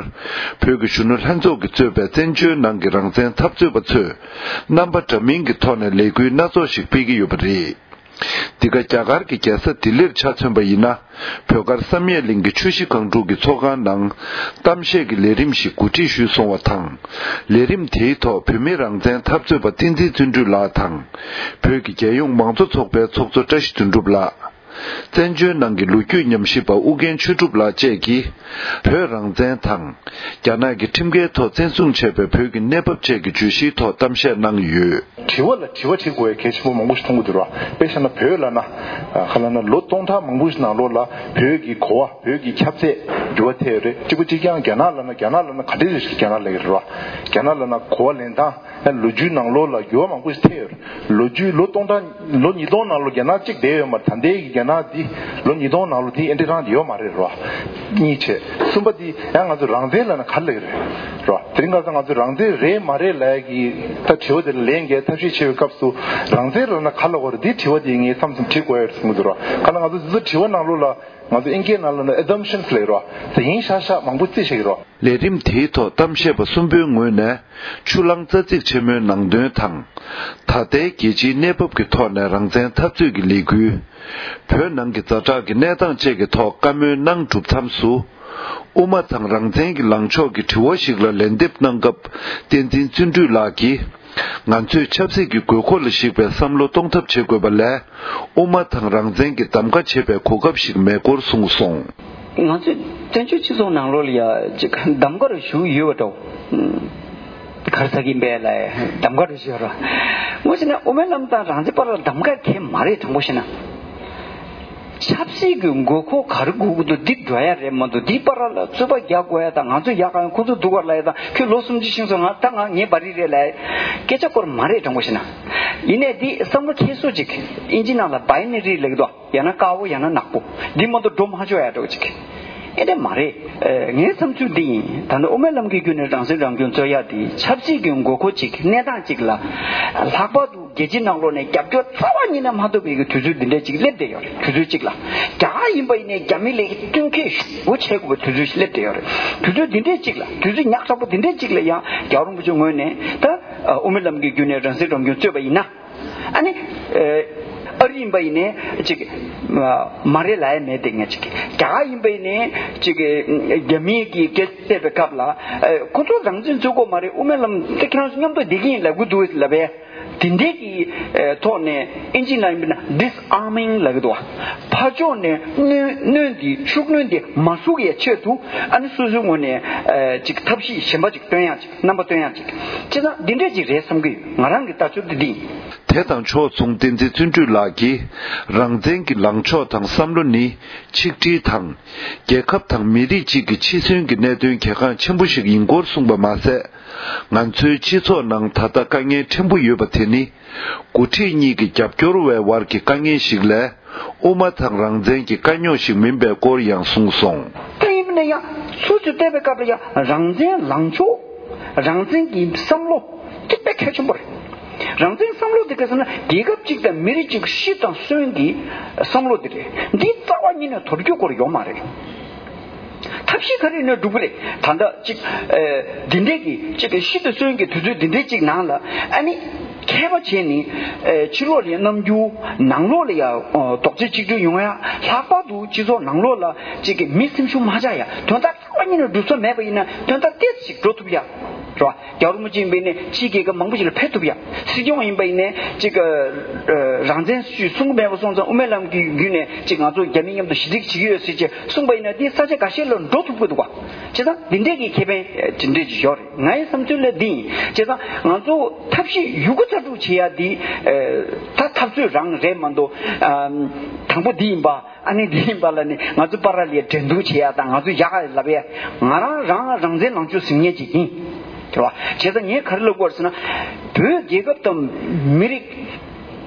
བོད་ཀྱི་གཞོན་ནུ་ལྷན་ཚོགས་ཀྱིས་གཙོས་པའི་བཙན་བྱོལ་ནང་གི་རང་བཙན་འཐབ་རྩོད་པ་ཚོས་རྣམ་པ་འདྲ་མིན་གྱི་ཐོག་ནས་ལས་འགུལ་སྣ་ཚོགས་ཤིག་སྤེལ་གྱི་ཡོད་པ་རེད། འདི་ག་རྒྱ་གར་གྱི་རྒྱལ་ས་ལྡི་ལིར་ཆ་མཚོན་པ་ཡིན་ན། བོད་མཁར་བསམ་ཡས་གླིང་གི་ཆུ་བཞི་སྒང་དྲུག་གི་ཚོགས་ཁང་ནང་གཏམ་བཤད་ཀྱི་ལས་རིམ་ཞིག་གོ་སྒྲིག་ཞུས་སོང་བ་དང་། ལས་རིམ་དེའི་ཐོག་བོད་མིའི་རང་བཙན་འཐབ་རྩོད་པ་བསྟན་འཛིན་བརྩོན་འགྲུས་ལགས་དང་། བོད་ཀྱི་རྒྱལ་ཡོངས་མང་གཙོ་ཚོགས་པའི་ཚོགས་གཙོ་བཀྲ་ཤིས་དོན་གྲུབ་ལགས། བཙན་བྱོལ་ནང་གི་ལོ་རྒྱུས་ཉམས་ཞིབ་པ་ཨུ་རྒྱན་ཆོས་གྲུབ་ལགས་བཅས་ཀྱིས་བོད་རང་བཙན་དང་། རྒྱ་ནག་གི་ཁྲིམས་འགལ་ཐོག་བཙན་བཟུང་བྱས་པའི་བོད་ཀྱི་གནས་བབ་བཅས་ཀྱི་བརྗོད་གཞིའི་ཐོག་གཏམ་བཤད་གནང་ཡོད། དྲི་བ་ལ་དྲི་བ་དྲི་དགོས་ཡ་གལ་ཆེན་པོ་མང་པོ་ཞིག་མཐོང་གི་འདུག་ར། དཔེ་བཞག་ན་བོད་ལ་ན། ག་ལ་ན་ལོ་སྟོང་ཕྲག་མང་པོ་ཞིག་ནང་ལོགས་ལ་བོད་ཀྱི་གོ་བ་བོད་ཀྱི་ཁྱབ་ཚད། འགྱུར་བ་ཐེབས་ཡོད་རེད། གཅིག་པ་གཅིག་རྐྱང་རྒྱ་ནག་ལབ་ན་རྒྱ་ནག་ལབ་ན་ག་འདྲ་རེད་ཟེར། རྒྱ་ནག་ལབ་ཀྱི་རེད་བ། རྒྱ་ནག་ལབ་ན་གོ་བ་ལེན་སྟངས་ཡང་ལོ་རྒྱུས་ནང་ལོགས་ལ་འགྱུར་བ་མང་པོ་ཞིག་ཐེབས་ཡོད་རེད། ལོ་རྒྱུས་ལོ་སྟོང་ཕྲག་ལོ་ཉིས་སྟོང་ནང་ལོགས་རྒྱ་ནག་གཅིག་བསྡད་ཡོད་མ་རེད། ད་ལྟའི་གི་རྒྱ་ནག་འདི་ལོ་ཉིས་སྟོང་ནང་ལོགས་དེ་ཨེ་འདྲ་རང་དེ་ཡོད་མ་རེད་རེད་བ། གཉིས་བྱས། གསུམ་པ་འདི་ཡང་ང་ཚོ་རང་བཙན་ལབ་ན་ག་རེ་ལབ་ཀྱི་རེད་རེད་བ། དེ་རིང་ཁ་སང་ང་ཚོ་རང་བཙན་རེད་མ་རེད་ལབ་ཡ་གི་ད་དྲི་བ་དེ་ལ་ལན་འགའ་ཐབས་ཤེས་བྱེད་པའི་སྐབས་སུ་རང་བཙན་ལབ་ན་ག་རེ་ལབ་དགོས་རེད། འདི་དྲི་བ་དེ་ངས་མཚམས་མཚམས་དྲི་དགོས་ཡ་རེད་བསམ་གྱི་འདུག་རེད་བ། ག་ལ་ང་ཚོ་འདི་ཚོ་དྲི་བ་ནང་ལོགས་ལ། ང་ཚོ་ཨིན་སྐད་ནང་ལ་ནི་assumptions ལབ་ཀྱི་རེད་བ། དེ་ཡིན་ཤག་ཤག་མང་པོ་རྩིས་བྱེད་ཀྱི་རེད་བ། ལས་རིམ་དེའི་ཐོག་གཏམ་བཤད་པ་གསུམ་པོའི་ངོས་ནས་ཆུ་གླང་རྩ་ཚིག་ཆེན་མོའི་ནང་དོན་དང་། ད་ལྟའི་རྒྱལ་སྤྱིའི་གནས་བབ་ཀྱི་ཐོག་ནས་རང་བཙན་འཐབ་རྩོད་ཀྱི་ལས་འགུལ། བོད་ནང་གི་ཛ་དྲག་གི་གནས་སྟངས་བཅས་ཀྱི་ཐོག་བཀའ་མོལ་གནང་གྲུབ་མཚམས་སུ། དབུ་མ་དང་རང་བཙན་གྱི་ལངས་ཕྱོགས་ཀྱི་དྲི་བ་ཞིག་ལ་ལན་འདེབས་གནང་སྐབས། བསྟན་འཛིན་བརྩོན་འགྲུས་ལགས་ཀྱིས། ང་ཚོས་ཆབ་སྲིད་ཀྱི་དགོས་མཁོ་ལ་གཞིགས་པའི་བསམ་བློ་གཏོང་ཐབས་བྱེད་དགོས་པ་ལས། དབུ་མ་དང་རང་བཙན་གྱི་གདམ་ག་བྱེད་པའི་གོ་སྐབས་ཤིག་མེད་སྐོར་གསུངས་སོང་། ང་ཚོས་བཙན་བྱོལ་སྤྱི་ཚོགས་ནང་ལོགས་ལ་ཡ་ཅིག་གདམ་ག་རུ་ཞུགས་ཡོད་པ་འདྲ་བོ། ག་རེ་ཟེར་གྱི་ཡིན་པས་ལ་གདམ་ག་རུ་ཞུགས་ར། ངོ་ཤེས་ན་དབུ་མའི་ལམ་དང་རང་བཙན་བར་ལ་གདམ་ག་གལ་མ་རེད། དྲང་པོ་བཤད་ན། ཆབ་སྲིད་ཀྱི་དགོས་མཁོ་ག་རེ་དགོས་ཀྱི་འདུག་འདི་འགྲོ་ཡ་རེད་མ་གཏོགས། འདི་བར་ལ་རྩོད་པ་རྒྱག་དགོས་ཡ་དང་། ང་ཚོ་ཡག་ག་ཡང་ཁོ་ཚོ་སྡུག་ག་ལབ་ཡ་དང་། ཁྱོད་ལོ་སུམ་ཅུ་ཕྱིན་སོང་། ང་ད་ང་ངའི་བ་རི་རེད་ལབ་ཡ་སྐད་ཆ་སྐོར་མ་རེད། དྲང་པོ་བཤད་ན། ཡིན་ནའི་འདི་བསམ་བློ་འཁྱེར་སྲོལ་ཅིག་ཨིན་ཇི་ནང་ལ་binary ལབ་ཀྱི་འདུག་ཡང་ན་དཀར་པོ་ཡང་ན་ནག་པོ། འདི་མ་གཏོགས་འགྲོ་མ་ཆོག་ཡ་འདྲ་བོ་ཅིག་ཨེ་འདྲ་མ་རེད། ངའི་བསམ་ཚུལ་འདི་ཡིན། ད་ནི་དབུ་མའི་ལམ་གྱི་བརྒྱུད་ནས་རང་སྲིད་རང་སྐྱོང་རྩོད་ཡ་འདི་ཆབ་སྲིད་ཀྱི་དགོས་མཁོ་ཅིག་གནས་སྟངས་ཅིག་ལ་ལྷག་པར་དུ། རྒྱལ་སྤྱིའི་ནང་ལོགས་ནས་རྒྱབ་སྐྱོར་རྩ་བ་ཉིད་ནས་མ་ཐོབ་པའི་གི་དུས་ཚོད་འདི་འདྲས་ཅིག་སླེབས་བསྡད་ཡོད་རེད། དུས་ཚོད་ཅིག་ལ་རྒྱ་གར་ཡིན་པ་ཡིན་ནའི་རྒྱ་མི་ལ་བསྟུན་མཁས་ཞེ་པོ་བྱེད་དགོས་པའི་དུས་ཚོད་ཞིག་སླེབས་བསྡད་ཡོད་རེད། དུས་ཚོད་འདི་འདྲས་ཅིག་ལ། དུས་ཚོད་ཉག་ཕྲ་པོ་འདི་འདྲས་ཅིག་ལ་ཡང་རྒྱལ་བ་རིན་པོ་ཆེ་ངོས་ནས་ད་དབུ་མའི་ལམ་གྱི་བརྒྱུད་ནས་རང་སྲིད་རང་སྐྱོང་རྩོད་པ་ཡིན་ན། ཨ་ནི། ཨ་རི་ཡིན་པ་ཡིན་ནའི་ཅིག་མ་རེད་ལབ་ཡ་མེད་དེ། ངས་ཅིག་རྒྱ་གར་ཡིན་པ་ཡིན་ནའི་ཅིག་རྒྱ་མིའི་གི་སྐད་བཤད་པའི་སྐབས་ལ། ཁོ་ཚོ་རང་བཙན་རྩོད་དགོས་མ་རེད། དབུ་མའི་ལམ་དེ་ཁྱེད་རང་ཚོ་མཉམ་དུ་བསྡད་ཀྱི་ཡིན་ལབ་གི་འདུག་ལབ་པས། དེ་འདྲའི་གི་ཐོག་ནས་ཨིན་ཇི་ནང་ཡིན་པ་ན་disarming ལབ་གི་འདུག་ཕར་ཕྱོགས་ནས་གནོན་གནོན་དེ་ཤུགས་གནོན་དེ་མ་ཞུགས་ཡའི་ཆེད་དུ། ཨ་ནི་སོ་སོའི་ངོས་ནས་ཅིག་ཐབས་ཤེས་གཞན་པ་ཅིག་སྟོན་ཡ་ཅིག་རྣམ་པ་སྟོན་ཡ་ཅིག་བྱས་ཙང་འདི་འདྲས་ཅིག་རེད་བསམ་གི་ཡོད། ང་རང་གི་ལྟ་ཚུལ་དེ་འདི་ཡིན། དེ་དང་ཕྱོགས་མཚུངས་བསྟན་འཛིན་བརྩོན་འགྲུས་ལགས་ཀྱིས། རང་བཙན་གྱི་ལངས་ཕྱོགས་དང་བསམ་བློ་ནི་ཆིག་སྒྲིལ་དང་། རྒྱལ་ཁབ་དང་མི་རིགས་གཅིག་གི་འཆི་གསོན་གྱི་གནད་དོན་གལ་འགངས་ཆེན་པོ་ཞིག་ཡིན་སྐོར་གསུངས་པ་མ་ཟད། ང་ཚོའི་སྤྱི་ཚོགས་ནང་ད་ལྟ་དཀའ་ངལ་ཕྲན་བུ་ཡོད་པ་དེ་ནི། འགོ་ཁྲིད་གཉིས་ཀྱི་རྒྱབ་སྐྱོར་བའི་དབར་གྱི་དཀའ་ངལ་ཞིག་ལས། དབུ་མ་དང་རང་བཙན་གྱི་དཀའ་རྙོག་ཞིག་མིན་པའི་སྐོར་ཡང་གསུངས་སོང་། དེ་ཡིན་ན་ཡང་སོ་སོས་བལྟས་པའི་སྐབས་ལ་ཡང་རང་བཙན་ལངས་ཕྱོགས། རང་བཙན་གྱི་བསམ་བློ་དེ་དཔེ་གལ་ཆེན་པོ་རེད། རང་བཙན་བསམ་བློ་དེ་ག་ཟེར་ན་རྒྱལ་ཁབ་གཅིག་དང་མི་རིགས་གཅིག་སྲིད་དང་སྲོལ་གྱི་བསམ་བློ་དེ་རེད། འདི་རྩ་བ་ཉིད་ནས་དོར་རྒྱུ་སྐོར་ཡོད་མ་རེད། ཐབས་ཤེས་ག་རེ་ནས་སྒྲུབ་ཀྱི་རེད། ད་ལྟ་གཅིག་ཨེ་འདི་འདྲས་ཀྱི་གཅིག་གི་ཤི་དུ་གསོན་གྱི་དུས་ཚོད་འདི་འདྲས་གཅིག་ནང་ལ་ཨ་ནི་མཁས་པ་བྱས་ནས་ཨེ་ཕྱི་ལོགས་ལ་ཡང་རྣམ་འགྱུར། ནང་ལོགས་ལ་ཡང་ཨོ་རྡོག་རྩ་གཅིག་སྒྲིལ་ཡོང་ཡ། ལྷག་པར་དུ་སྤྱི་ཚོགས་ནང་ལོགས་ལ་གཅིག་གི་མི་སེམས་ཤུགས་མ་ཆག་ཡ། དོན་དག་རྩ་བ་ཉིད་ནས་སྒྲུབ་ས་མེད་པ་ཡིན་ན་དོན་དག་ཏོག་ཙམ་ཞིག་འགྲོ་ཐུབ་ཡ། རེད་བ། རྒྱལ་བ་རིན་པོ་ཆེ་ཡིན་པ་ཡིན་ནའི་ཕྱིའི་རྒྱལ་ཁབ་མང་པོ་ཞིག་ལ་ཕེབས་ཐུབ་ཡ། སྲིད་སྐྱོང་ཡིན་པ་ཡིན་ནའི་གཅིག་གི་ཨ་རང་བཙན་ཞུས་གསུང་གི་མེད་པ་སོང་ཙང་དབུ་མའི་ལམ་གྱི་བརྒྱུད་ནས་གཅིག་ང་ཚོ་རྒྱ་མི་མཉམ་དུ་ཞི་འགྲིག་བྱེད་ཀྱི་ཡོད་ཟེར་བྱས་གསུངས་པ་ཡིན་ན་དེ་ས་ཆ་འགའ་ཤས་ལ་འགྲོ་ཐུབ་ཀྱི་འདུག་བ། བྱས་ཙང་འདི་འདྲས་ཀྱི་ཁེ་ཕན་དེ་འདྲས་ཅིག་ཡོད་རེད། ངའི་བསམ་ཚུལ་ལ་འདི་ཡིན། བྱས་ཙང་ང་ཚོ་ཐབས་ཤེས་ཡོད་རྒུ་རྩལ་སྤྲུགས་བྱེད་ཡ་འདི་ད་འཐབ་རྩོད་རང་རེད་མ་གཏོགས། དང་པོ་འདི་ཡིན་པ། ཨ་ནི་འདི་ཡིན་པ་ལ་ནི་ང་ཚོ་པ་ར་ལས་འགྲན་བསྡུར་བྱེད་ཡ་དང་ང་ཚོ་ཡག་ག་ལབ་ཡ། ང་རང་རང་རང་བཙན་ལངས་ཕྱོགས་ཟིན་མཁན་ཅིག་ཡིན། རེད་བ། བྱས་ཙང་ངས་ག་རེ་ལབ་དགོས་རེད་ཟེར་ན། བོད་རྒྱལ་ཁབ་དང་མི་རིགས་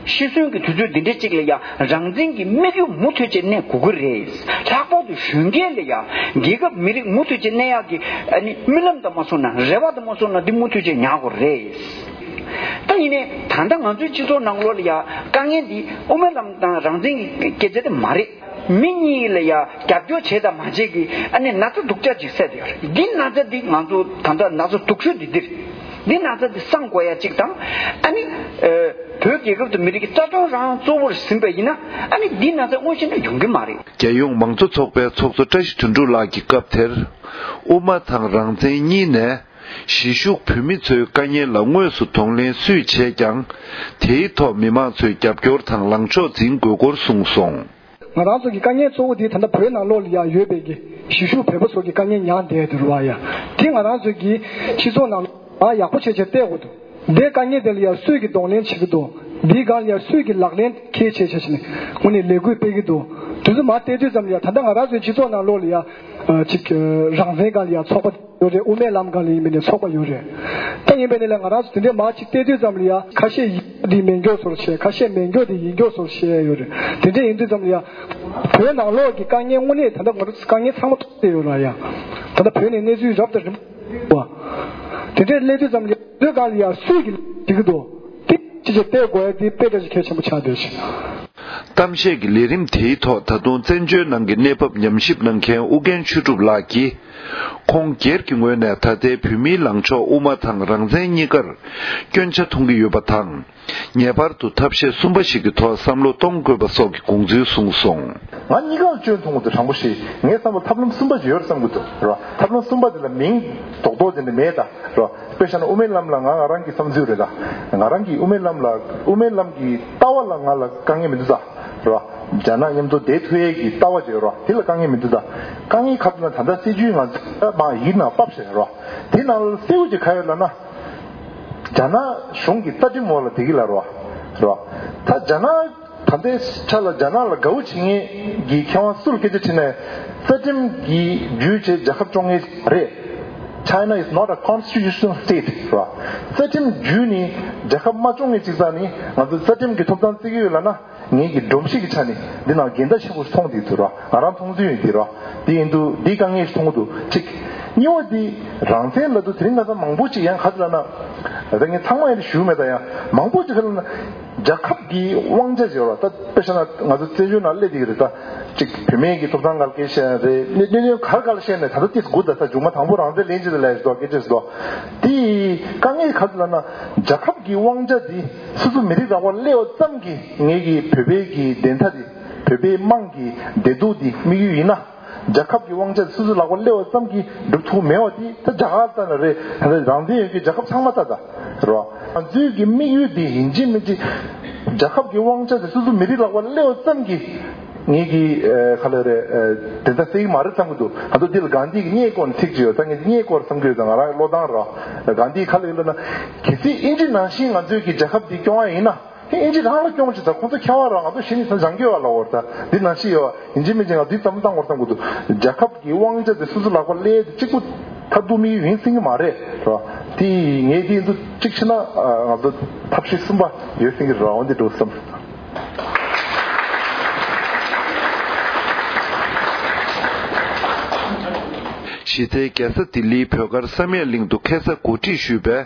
ཤི་གསོན་གྱི་དུས་ཚོད་འདི་འདྲ་ཅིག་ལ་ཡང་རང་བཙན་གྱི་དམིགས་ཡུལ་མུ་མཐུད་ཅིག་གནས་དགོས་ཀྱི་རེད། ལྷག་པར་དུ་གཞོན་སྐྱེས་ལ་ཡང་རྒྱལ་ཁབ་མི་རིགས་མུ་མཐུད་ཅིག་གནས་ཡག་གི་ཨ་ནི་རྨི་ལམ་དང་མ་སོང་ན་རེ་བ་དང་མ་སོང་ན་འདི་མུ་མཐུད་ཅིག་ཉར་དགོས་རེད། ད་ཡིན་ནའི་ད་ལྟ་ང་ཚོའི་སྤྱི་ཚོགས་ནང་ལོགས་ལ་ཡང་དཀའ་ངལ་འདི་དབུ་མའི་ལམ་དང་རང་བཙན་གྱི་སྐད་ཆ་དེ་མ་རེད། མི་གཉིས་ལ་ཡང་རྒྱབ་སྐྱོར་བྱས་དང་མ་བྱས་ཀྱི་ཨ་ནི་ན་ཚ་སྡུག་ཅག་ཅིག་བསད་དེ་ཡོད་རེད། འདི་ན་ཚ་འདི་ང་ཚོ་ད་ལྟ་ན་ཚ་སྡུག་ཤོས་འདི་འདིར་འདི་ན་ཚ་འདི་སངས་དགོས་ཡ་གཅིག་དང་། ཨ་ནི་ཨ་བོད་རྒྱལ་ཁབ་དང་མི་རིགས་ཀྱི་རྩ་དོན་རང་གཙོ་བོར་ཟིན་པ་ཡིན་ན་ཨ་ནི་འདི་ན་ཚ་དངོས་གཞི་ནས་ཡོང་གི་མ་རེད། རྒྱལ་ཡོངས་མང་གཙོ་ཚོགས་པའི་ཚོགས་གཙོ་བཀྲ་ཤིས་དོན་གྲུབ་ལགས་ཀྱིས་སྐབས་དེར། དབུ་མ་དང་རང་བཙན་གཉིས་ནས་གཞིས་བཞུགས་བོད་མི་ཚོའི་དཀའ་ངལ་ལ་དངོས་སུ་གདོང་ལེན་སུས་བྱས་ཀྱང་། དེའི་ཐོག་མི་མང་ཚོས་རྒྱབ་སྐྱོར་དང་ལངས་ཕྱོགས་འཛིན་དགོས་སྐོར་གསུངས་སོང་། ང་རང་ཚོ་གི་དཀའ་ངལ་གཙོ་བོ་དེ་ད་ལྟ་བོད་ནང་ལོགས་ལ་ཡང་ཡོད་པའི་གི་གཞིས་བཞུགས་བོད་པ་ཚོ་གི་དཀའ་ངལ་ཉག་བསྡད་འདུག་རེད་བ་ཡ། དེ་ང་རང་ཚོ་གི་སྤྱི་ཚོགས་ནང་ལ་ཡག་པོ་བྱས་བྱས་བལྟས་དགོས་འདུག་འདིའི་དཀའ་ངལ་དེ་ལ་ཡང་སུས་ཀྱི་གདོང་ལེན་བྱེད་ཀྱི་འདུག་འདིའི་སྒང་ལ་ཡང་སུས་ཀྱི་ལག་ལེན་འཁེལ་བྱས་བྱས་བྱས་ནས་དངོས་གནས་ལས་འགུལ་སྤེལ་གྱི་འདུག་དེ་ཚོ་མར་བལྟས་དུས་ཙམ་ལ་ཡང་ད་ལྟ་ང་རང་ཚོའི་སྤྱི་ཚོགས་ནང་ལོགས་ལ་ཡང་ ཅིག་རང་བཙན་སྒང་ལ་ཡང་ཚོགས་པ་ཡོད་རེད། དབུ་མའི་ལམ་སྒང་ལ་ཡིན་པ་ཡིན་ནའི་ཚོགས་པ་ཡོད་རེད། ད་ཡིན་པ་ཡིན་ནའི་ལ་ང་རང་ཚོ་དེ་འདྲའི་མར་ཅིག་བལྟས་དུས་ཙམ་ལ་ཡང་ཁ་ཤས་ཡིན་འདི་མེད་མགྱོགས་ཚོར་བྱས། ཁ་ཤས་མེད་མགྱོགས་འདི་ཡིན་མགྱོགས་ཚོར་བྱས་ཡོད་རེད། དེ་འདྲ་ཡིན་དུས་ཙམ་ལ་ཡང་བོད་ནང་ལོགས་ཀྱི་དཀའ་ངལ་དངོས་གནས་ད་ལྟ་ང་ཚོ་དཀའ་ངལ་ཚང་མ་ཐོག་བལྟས་ཡོད་ལ་ཡང་། ད་ལྟ་བོད་ནས་གནས་ཚུལ་རབ་དང་རིམ་པ་དེ་འདྲའི་སླེབས་དུས་ཙམ་ལ་ཡང་བོད་སྒང་ལ་ཡང་སུས་ཀྱིས་བྱེད་ཀྱི་འདུག་དེ་ཅི་བྱེད་བལྟས་དགོས་ཡ་དེ་དཔེ་འདྲ་ཞིག་གལ་ཆེན་པོ་ཆགས་བསྡད་ཤག་གཏམ་བཤད་ཀྱི་ལས་རིམ་དེའི་ཐོག་ད་དུང་བཙན་བྱོལ་ནང་གི་གནས་བབ་ཉམས་ཞིབ་གནང་མཁན་ཨུ་རྒྱན་ཆོས་གྲུབ་ལགས་ཀྱིས། ཁོང་སྒེར་གྱི་ངོས་ནས་ད་ལྟའི་བོད་མིའི་ལངས་ཕྱོགས་དབུ་མ་དང་རང་བཙན་གཉིས་ཀར་སྐྱོན་ཆ་མཐོང་གི་ཡོད་པ་དང་། ངེས་པར་དུ་ཐབས་ཤེས་གསུམ་པ་ཞིག་གི་ཐོག་བསམ་བློ་གཏོང་དགོས་པ་སོགས་ཀྱི་དགོངས་ཚུལ་གསུངས་སོང་། ང་གཉིས་ཀ་ལ་སྐྱོན་མཐོང་གི་འདུག་དྲང་པོ་བཤད། ངའི་བསམ་པར་ཐབས་ལམ་གསུམ་པ་ཅིག་ཡོད་རེད་བསམ་གྱི་འདུག་རེད་བ། ཐབས་ལམ་གསུམ་པ་དེ་ལ་མིང་རྡོག་རྡོག་དེ་འདྲ་མེད་ད། རེད་བ། དཔེ་བཞག་ན་དབུ་མའི་ལམ་ལ་ང་ང་རང་གི་བསམ་ཚུལ་རེད་ད། ང་རང་གི་དབུ་མའི་ལམ་ལ་དབུ་མའི་ལམ་གྱི་ལྟ་བ་ལ་ང་ལ་དཀའ་ངལ་མི་འདུག་ད། རེད་བ། རྒྱ་ནག་མཉམ་དུ་བསྡད་ཐུབ་ཡས་ཀྱི་ལྟ་བ་ཅིག་ཡོད་རེད་བ། དེ་ལ་དཀའ་ངལ་མི་འདུག་ད། དཀའ་ངལ་ག་རེ་ལབ་ན་ད་ལྟ་སྲིད་བྱུས་ང་ཚོ་མ་ཡིག་ནང་ཕབ་བཞག་རེད་བ། དེ་ནང་ལ་གསལ་པོ་ཅིག་ག་ཡོད་ལབ་ན། རྒྱ་ནག་གཞུང་གི་རྩ་ཁྲིམས་འོག་ལ་བསྡད་ཀྱི་ལ་རེད་བ། རེད་བ། ད་རྒྱ་ནག་ད་ལྟའི་ཆ་ལ་རྒྱ་ནག་ལ་དགའ་བོ་བྱེད་མཁན་གྱི་མཁས་དབང་སུ་ལ་སྐད་ཆ་དྲིས་ནས་རྩ་ཁྲིམས་ཀྱི་བརྒྱུད་བྱས་རྒྱལ་ཁབ་སྐྱོང་མཁན་རེད། China is not a constitutional state. རེད་བ། རྩ་ཁྲིམས་བརྒྱུད་ནས་རྒྱལ་ཁབ་མ་སྐྱོང་མཁན་ཅིག་ཙང་ནི་ང་ཚོ་རྩ་ཁྲིམས་ཀྱི་ཐོབ་ཐང་རྩོད་ཀྱི་ཡོད་ལབ་ན། ངེད་ཀྱི་སྒྲོམ་གཞི་གི་ཆ་ནས་འདི་ནང་འགལ་ཟླ་ཆེན་པོ་མཐོང་བསྡད་འདུག་ར། ང་རང་མཐོང་ཚུལ་ཡིན་འདི་ར། འདི་ཡིན་དུས་འདི་དཀའ་ངལ་ཞིག་མཐོང་གི་འདུག་གཅིག་གཉིས་པ་འདི་རང་བཙན་ལབ་དུས་དེ་རིང་ཁ་སང་མང་པོ་ཅིག་ཡང་ག་ཚོད་ལབ་ན། ད་ངས་ཚང་མ་ཡང་ཞུ་མེད་ད་ཡང་མང་པོ་ཅིག་ག་ལབ་ན། རྒྱལ་ཁབ་ཀྱི་དབང་ཆ་ཟེར་བ་ད་དཔེ་བཞག་ན་ང་ཚོ་བཙན་བྱོལ་ནང་སླེབས་བསྡད་ཀྱི་རེད་ད། གཅིག་བུད་མེད་ཀྱི་ཐོབ་ཐང་སྒང་ལ་སྐད་ཆ་བཤད་ཡ་རེད། གནད་དོན་ག་རེ་སྒང་ལ་བཤད་ནས་ད་ལྟ་ཏིས་དགུ་ད་ད་མཇུག་མ་དང་པོ་རང་བཙན་ལེན་ཅི་ལ་ལས་ཞིག་འདུག་སྐད་ཆ་ཞིག་འདུག་དེ་དཀའ་ངལ་ག་ཚོད་ལབ་ན་རྒྱལ་ཁབ་ཀྱི་དབང་ཆ་འདི། སོ་སོ་མི་རིགས་རང་དབང་སླེབས་པ་ཙམ་གྱིས་ངེད་ཀྱི་བོད་པའི་གི་བདེན་མཐའ་འདི། བོད་པའི་དམངས་ཀྱི་བདེ་སྡུག་འདི་དམིགས་ཡུལ་ཡིན་ན། རྒྱལ་ཁབ་ཀྱི་དབང་ཆ་འདི་སོ་སོའི་ལག་པ་སླེབས་པ་ཙམ་གྱིས་འགྲུབ་ཐུབ་མེད་པ་འདི་ད་རྒྱ་གར་ལྟ་ན་རེད། ད་རང་བཙན་ཡོད་ཀྱི་རྒྱལ་ཁབ་ཚང་མ་ལྟ་ད་རེད་བ། ང་ཚོའི་གི་དམིགས་ཡུལ་འདི་ཡིན་གཅིག་མིན་གཅིག་རྒྱལ་ཁབ་ཀྱི་དབང་ཆ་འདི་སོ་སོ་མི་རིགས་ལག་པ་སླེབས་པ་ཙམ་གྱིས་ངེད་ཀྱི་ཨ་ག་ལ་རེད། ཨ་དེ་ལྟ་སེ་གི་མ་རེད་བསམ་གི་འདུག་ང་ཚོ་འདི་ལ་གྷན་དྷི་གི་བརྙན་སྐོར་ནས་ཚིག་ཅིག་ཡོད། ད་ངས་བརྙན་སྐོར་བསམ་གི་ཡོད། ད་ང་རང་བློ་བཏང་ར་གྷན་དྷི་ག་ལ་ཡོད་ལབ་ན། གལ་སྲིད་ཨིན་ཇི་ནང་བཞིན་ང་ཚོའི་གི་རྒྱལ་ཁབ་འདི་སྐྱོང་བ་ཡིན་ན། ཨིན་ཇི་རང་ལ་སྐྱོང་ཅིག་ད་ཁོང་ཚོ་ཁྱད་པར་རང་ང་ཚོ་གཞི་ནས་ས་འཇང་གི་བ་ལ་འོར་ད་འདི་ནང་བཞིན་ཡོད། ཡིན་གཅིག་མིན་གཅིག་ང་འདི་ཙམ་བཏང་བར་བསམ་གི་འདུག་རྒྱལ་ཁབ་ཀྱི་དབང་ཆ་དེ་སོ་སོ་ལག་པ་སླེབས་ཏེ་གཅིག་པུ་མཐར་ཐུག་དམིགས་ཡུལ་ཡིན་སྲིད་ཀྱི་མ་རེད་ར། དེ་ངས་དེ་འདུག་གཅིག་བྱས་ན་ང་ཚོ་ཐབས་ཤེས་གསུམ་པ་ཡོད་སྲིད་ཀྱི་ར། འོན་ཏེ་འགྲོ་བསམ། གཞི་རྩའི་རྒྱལ་ས་ལྡི་ལིའི་བོད་སྒར་བསམ་ཡས་གླིང་དུ་ཁ་སང་གོ་སྒྲིག་ཞུས་པའི་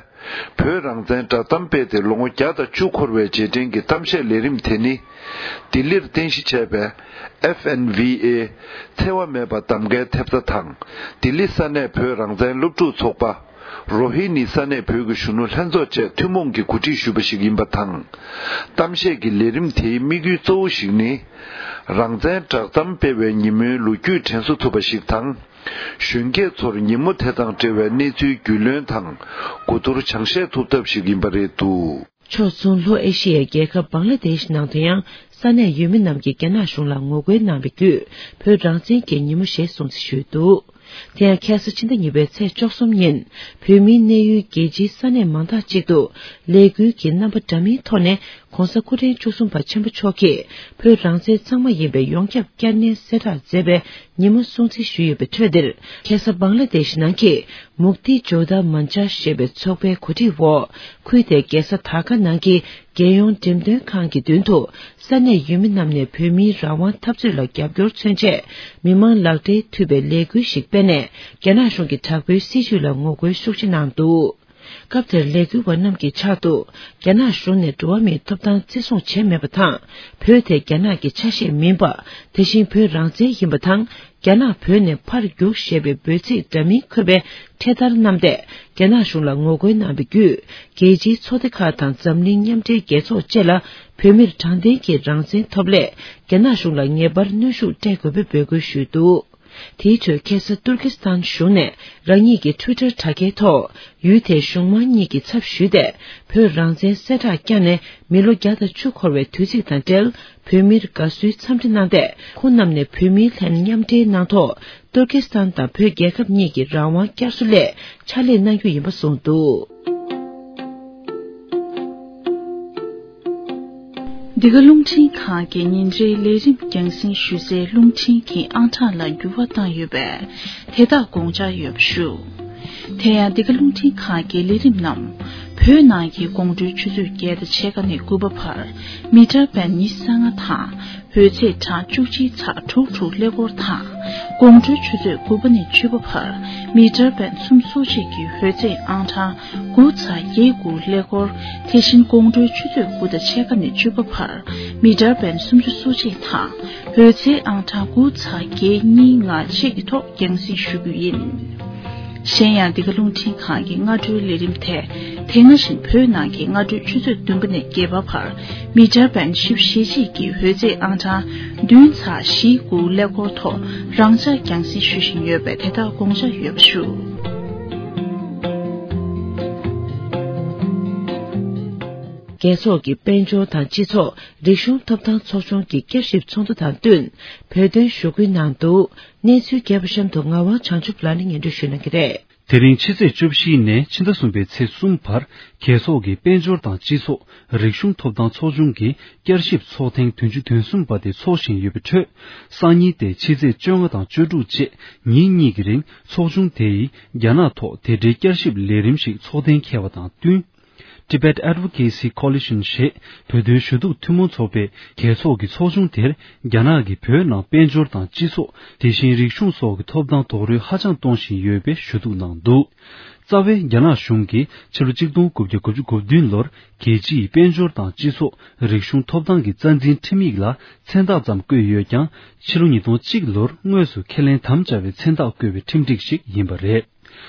བོད་རང་བཙན་བསྒྲགས་གཏམ་སྤེལ་ཏེ་ལོ་ངོ་བརྒྱ་དང་བཅུ་འཁོར་བའི་རྗེས་དྲན་གྱི་གཏམ་བཤད་ལས་རིམ་དེ་ནི། ལྡི་ལིར་རྟེན་གཞི་བྱས་པའི་ཨེཕ་ཨེན་ཝི་ཨེ་འཚེ་བ་མེད་པ་གདམ་གའི་ཐེབས་རྩ་དང་། ལྡི་ལི་ས་གནས་བོད་རང་བཙན་སློབ་ཕྲུག་ཚོགས་པ། རོ་ཧི་ནི་ས་གནས་བོད་ཀྱི་གཞོན་ནུ་ལྷན་ཚོགས་བཅས་ཐུན་མོང་གིས་གོ་སྒྲིག་ཞུས་པ་ཞིག་ཡིན་པ་དང་། གཏམ་བཤད་ཀྱི་ལས་རིམ་དེའི་དམིགས་ཡུལ་གཙོ་བོ་ཞིག་ནི། རང་བཙན་བསྒྲགས་གཏམ་སྤེལ་བའི་ཉིན་མོའི་ལོ་རྒྱུས་དྲན་གསོ་ཐུབ་པ་ཞིག་དང་། གཞོན་སྐྱེས་ཚོར་ཉིན་མོ་དེ་དང་འབྲེལ་བའི་གནས་ཚུལ་རྒྱུས་ལོན་དང་གོ་བསྡུར་སྦྱང་བཤད་ཐུབ་ཐབས་ཤིག་ཡིན་པ་རེད་འདུག་ཕྱོགས་མཚུངས་ལྷོ་ཨེ་ཤི་ཡའི་རྒྱལ་ཁབ་བང་ལ་དེཤ་ནང་དུ་ཡང་ས་གནས་ཡུལ་མི་རྣམས་ཀྱིས་རྒྱ་ནག་གཞུང་ལ་ངོ་རྒོལ་གནང་བའི་བརྒྱུད་བོད་རང་བཙན་གྱི་ཉིན་མོ་ཞེས་སྲུང་བརྩི་ཞུས་འདུག་དེ་ཡང་ཁ་སང་ཕྱི་ཟླ་གཉིས་པའི་ཚེས་བཅུ་གསུམ་ཉིན་བོད་མིའི་གནས་ཡུལ་རྒྱལ་སྤྱིའི་ས་གནས་མང་དག་ཅིག་ཏུ་ལས་འགུལ་གྱི་རྣམ་པ་འདྲ་མིན་ཐོག་ནས་༧གོང་ས་སྐུ་ཕྲེང་བཅུ་གསུམ་པ་ཆེན་པོ་མཆོག་གིས་བོད་རང་བཙན་གཙང་མ་ཡིན་པའི་ཡོངས་ཁྱབ་བསྐྱར་ནན་གསལ་བསྒྲགས་མཛད་པའི་ཉིན་མོ་སྲུང་བརྩི་ཞུས་ཡོད་པའི་ཁྲོད་འདིར། ཁ་སང་བང་ལ་དེཤ་ནང་གི་མུག་ཏི་ཇོ་དྷ་མན་ཇ་ཞེས་པའི་ཚོགས་པའི་གོ་སྒྲིག་འོག་ཁུལ་དེའི་རྒྱལ་ས་དྷ་ཀ་ནང་གི་རྒྱལ་ཡོངས་འགྲེམས་སྟོན་ཁང་གི་མདུན་དུ་ས་གནས་ཡུལ་མི་རྣམས་ནས་བོད་མིའི་རང་དབང་འཐབ་རྩོད་ལ་རྒྱབ་སྐྱོར་མཚོན་ཆེད་མི་མང་ལག་སྦྲེལ་མཐུད་པའི་ལས་འགུལ་ཞིག་སྤེལ་ནས་རྒྱ་ནག་གཞུང་གི་དྲག་པོའི་སྲིད་བྱུས་ལ་ངོ་རྒོལ་ཤུགས་ཆེ་གནང་འདུག་སྐབས་དེར་ལས་འགུལ་བ་རྣམས་ཀྱི་ཕྱག་ཏུ་རྒྱ་ནག་གཞུང་ནས་འགྲོ་བ་མིའི་ཐོབ་ཐང་བརྩི་སྲུང་བྱས་མེད་པ་དང་། བོད་དེ་རྒྱ་ནག་གི་ཆ་ཤས་མིན་པ། དེ་བཞིན་བོད་རང་བཙན་ཡིན་པ་དང་། རྒྱ་ནག་བོད་ནས་ཕར་རྒྱུགས་ཞེས་པའི་འབོད་ཚིག་འདྲ་མིན་འཁོད་པའི་འཕྲེད་དར་བསྣམས་ཏེ་རྒྱ་ནག་གཞུང་ལ་ངོ་རྒོལ་གནང་བའི་བརྒྱུད། རྒྱལ་སྤྱིའི་ཚོགས་སྡེ་ཁག་དང་འཛམ་གླིང་མཉམ་འབྲེལ་རྒྱལ་ཚོགས་བཅས་ལ་བོད་མིར་དྲང་བདེན་གྱི་རང་བཙན་ཐོབ་སླད་རྒྱ་ནག་གཞུང་ལ་ངེས་པར་གནོན་ཤུགས་སྤྲད་དགོས་པའི་འབོད་སྐུལ་ཞུས་འདུག་དེའི་ཁྲོད་ཁ་སང་ཏུར་ཀི་སི་ཐན་གཞུང་ནས་རང་ཉིད་ཀྱི་ཊུའི་ཊར་དྲ་རྒྱའི་ཐོག་ཡུལ་དེའི་གཞུང་མང་གཉིས་ཀྱི་ཚབ་ཞུས་ཏེ་བོད་རང་བཙན་གསལ་བསྒྲགས་བསྐྱངས་ནས་མི་ལོ་བརྒྱ་དང་བཅུ་འཁོར་བའི་དུས་ཚིགས་དང་འབྲེལ། བོད་མིར་དགའ་བསུའི་འཚམས་འདྲི་གནང་སྟེ། ཁོང་རྣམས་ནས་བོད་མིའི་ལྷན་མཉམ་འབྲེལ་གནང་ཐོག་ཏུར་ཀི་སི་ཐན་དང་བོད་རྒྱལ་ཁབ་གཉིས་ཀྱི་རང་དབང་བསྐྱར་གསོ་སླད་ཕྱག་ལས་གནང་རྒྱུ་ཡིན་པ་གསུངས་འདུག་འདི་ག་རླུང་འཕྲིན་ཁང་གི་ཉིན་རེའི་ལས་རིམ་རྒྱང་སྲིང་ཞུ་སའི་རླུང་འཕྲིན་གྱི་ཨང་གྲངས་ལ་འགྱུར་བ་བཏང་ཡོད་པས། དེ་དག་དགོངས་འཇགས་ཡོད་པ་ཞུ། དེ་ཡང་འདི་ག་རླུང་འཕྲིན་ཁང་གི་ལས་རིམ་རྣམས་བོད་ནང་གི་དགོང་དྲོའི་ཆུ་ཚོད་བརྒྱད་དང་ཕྱེད་ཀ་ནས་དགུ་པ་བར་མི་ཊར་བེན་ཉི་ཤུ་རྩ་ལྔ་དང་འོད་ཚད་གྲངས་བཅུ་གཅིག་ཚེག་དྲུག་དྲུག་ཀླད་ཀོར་དང་། དགོང་དྲོའི་ཆུ་ཚོད་དགུ་པ་ནས་བཅུ་པ་བར་མི་ཊར་བེན་སུམ་ཅུ་སོ་གཅིག་གི་འོད་ཚད་ཨང་གྲངས་དགུ་ཚེག་བརྒྱད་དགུ་ཀླད་ཀོར། དེ་བཞིན་དགོང་དྲོའི་ཆུ་ཚོད་དགུ་དང་ཕྱེད་ཀ་ནས་བཅུ་པ་བར་མི་ཊར་བེན་སུམ་ཅུ་སོ་གཅིག་དང་འོད་ཚད་ཨང་གྲངས་དགུ་ཚེག་བརྒྱད་གཉིས་ལྔ་བཅས་ཀྱི་ཐོག་རྒྱང་སྲིང་ཞུ་རྒྱུ་ཡིན། གཞན་ཡང་འདི་ག་རླུང་འཕྲིན་ཁང་གི་སྔ་དྲོའི་ལས་རིམ་དེ་དེ་སྔ་བཞིན་བོད་ནང་གི་སྔ་དྲོའི་ཆུ་ཚོད་བདུན་པ་ནས་བརྒྱད་པ་བར་མི་ཊར་བེན་བཞི་བཅུ་ཞེ་གཅིག་གི་འོད་ཚད་ཨང་གྲངས་བདུན་ཚེག་བཞི་དགུ་ཀླད་ཀོར་ཐོག་རང་འཇགས་རྒྱང་སྲིང་ཞུ་བཞིན་ཡོད་པས། དེ་དག་དགོངས་འཇགས་ཡོད་པ་ཞུ། རྒྱལ་ཚོགས་ཀྱི་དཔལ་འབྱོར་དང་སྤྱི་ཚོགས་རིག་གཞུང་ཐོབ་ཐང་ཚོགས་ཆུང་གི་བསྐྱར་ཞིབ་ཚོགས་འདུ་དང་བསྟུན་བོད་དོན་ཞུ་སྐུལ་གནང་འདུག་གནས་ཚུལ་རྒྱས་པ་གཤམ་དུ་ངག་དབང་བྱང་ཆུབ་ལགས་ནས་སྙན་སྒྲོན་ཞུ་གནང་གི་རེད། དེ་རིང་ཕྱི་ཚེས་བཅུ་བཞི་ནས་ཕྱི་ཟླ་གསུམ་པའི་ཚེས་གསུམ་བར་རྒྱལ་ཚོགས་ཀྱི་དཔལ་འབྱོར་དང་སྤྱི་ཚོགས་རིག་གཞུང་ཐོབ་ཐང་ཚོགས་ཆུང་གི་བསྐྱར་ཞིབ་ཚོགས་ཐེངས་བདུན་ཅུ་དོན་གསུམ་པ་དེ་འཚོགས་བཞིན་ཡོད་པའི་ཁྲོད། སང་ཉིན་ཏེ་ཕྱི་ཚེས་བཅོ་ལྔ་དང་བཅུ་དྲུག་བཅས་ཉིན་གཉིས་ཀྱི་རིང་ཚོགས་ཆུང་དེ་ཡིས་རྒྱ་ནག་ཐོག་དེ་འབྲེལ་བསྐྱར་ཞིབ་ལས་རིམ་ཞིག་ཚོགས་གཏན་འཁེལ་བ་དང་བསྟུན། Tibet Advocacy Coalition ཞེས་བོད་དོན་ཞུ་གཏུག་ཐུན་མོང་ཚོགས་པས་རྒྱལ་ཚོགས་ཀྱི་ཚོགས་ཆུང་དེར་རྒྱ་ནག་གིས་བོད་ནང་དཔལ་འབྱོར་དང་སྤྱི་ཚོགས། དེ་བཞིན་རིག་གཞུང་སོགས་ཀྱི་ཐོབ་ཐང་རྡོག་རོལ་ཧ་ཅང་གཏོང་བཞིན་ཡོད་པའི་ཞུ་གཏུག་གནང་འདུག་རྩ་བའི་རྒྱ་ནག་གཞུང་གིས་ཕྱི་ལོ་གཅིག་སྟོང་དགུ་བརྒྱ་དགུ་བཅུ་གོ་བདུན་ལོར་རྒྱལ་སྤྱིའི་དཔལ་འབྱོར་དང་སྤྱི་ཚོགས་རིག་གཞུང་ཐོབ་ཐང་གི་རྩ་འཛིན་ཁྲིམས་ཡིག་ལ་མཚན་རྟགས་ཙམ་བཀོད་ཡོད་ཀྱང་། ཕྱི་ལོ་ཉིས་སྟོང་གཅིག་ལོར་དངོས་སུ་ཁས་ལེན་དམ་བཅའ་བའི་མཚན་རྟགས་བཀོད་པའི་ཁྲིམས་སྒྲིག་ཞིག་ཡིན་པ་རེད།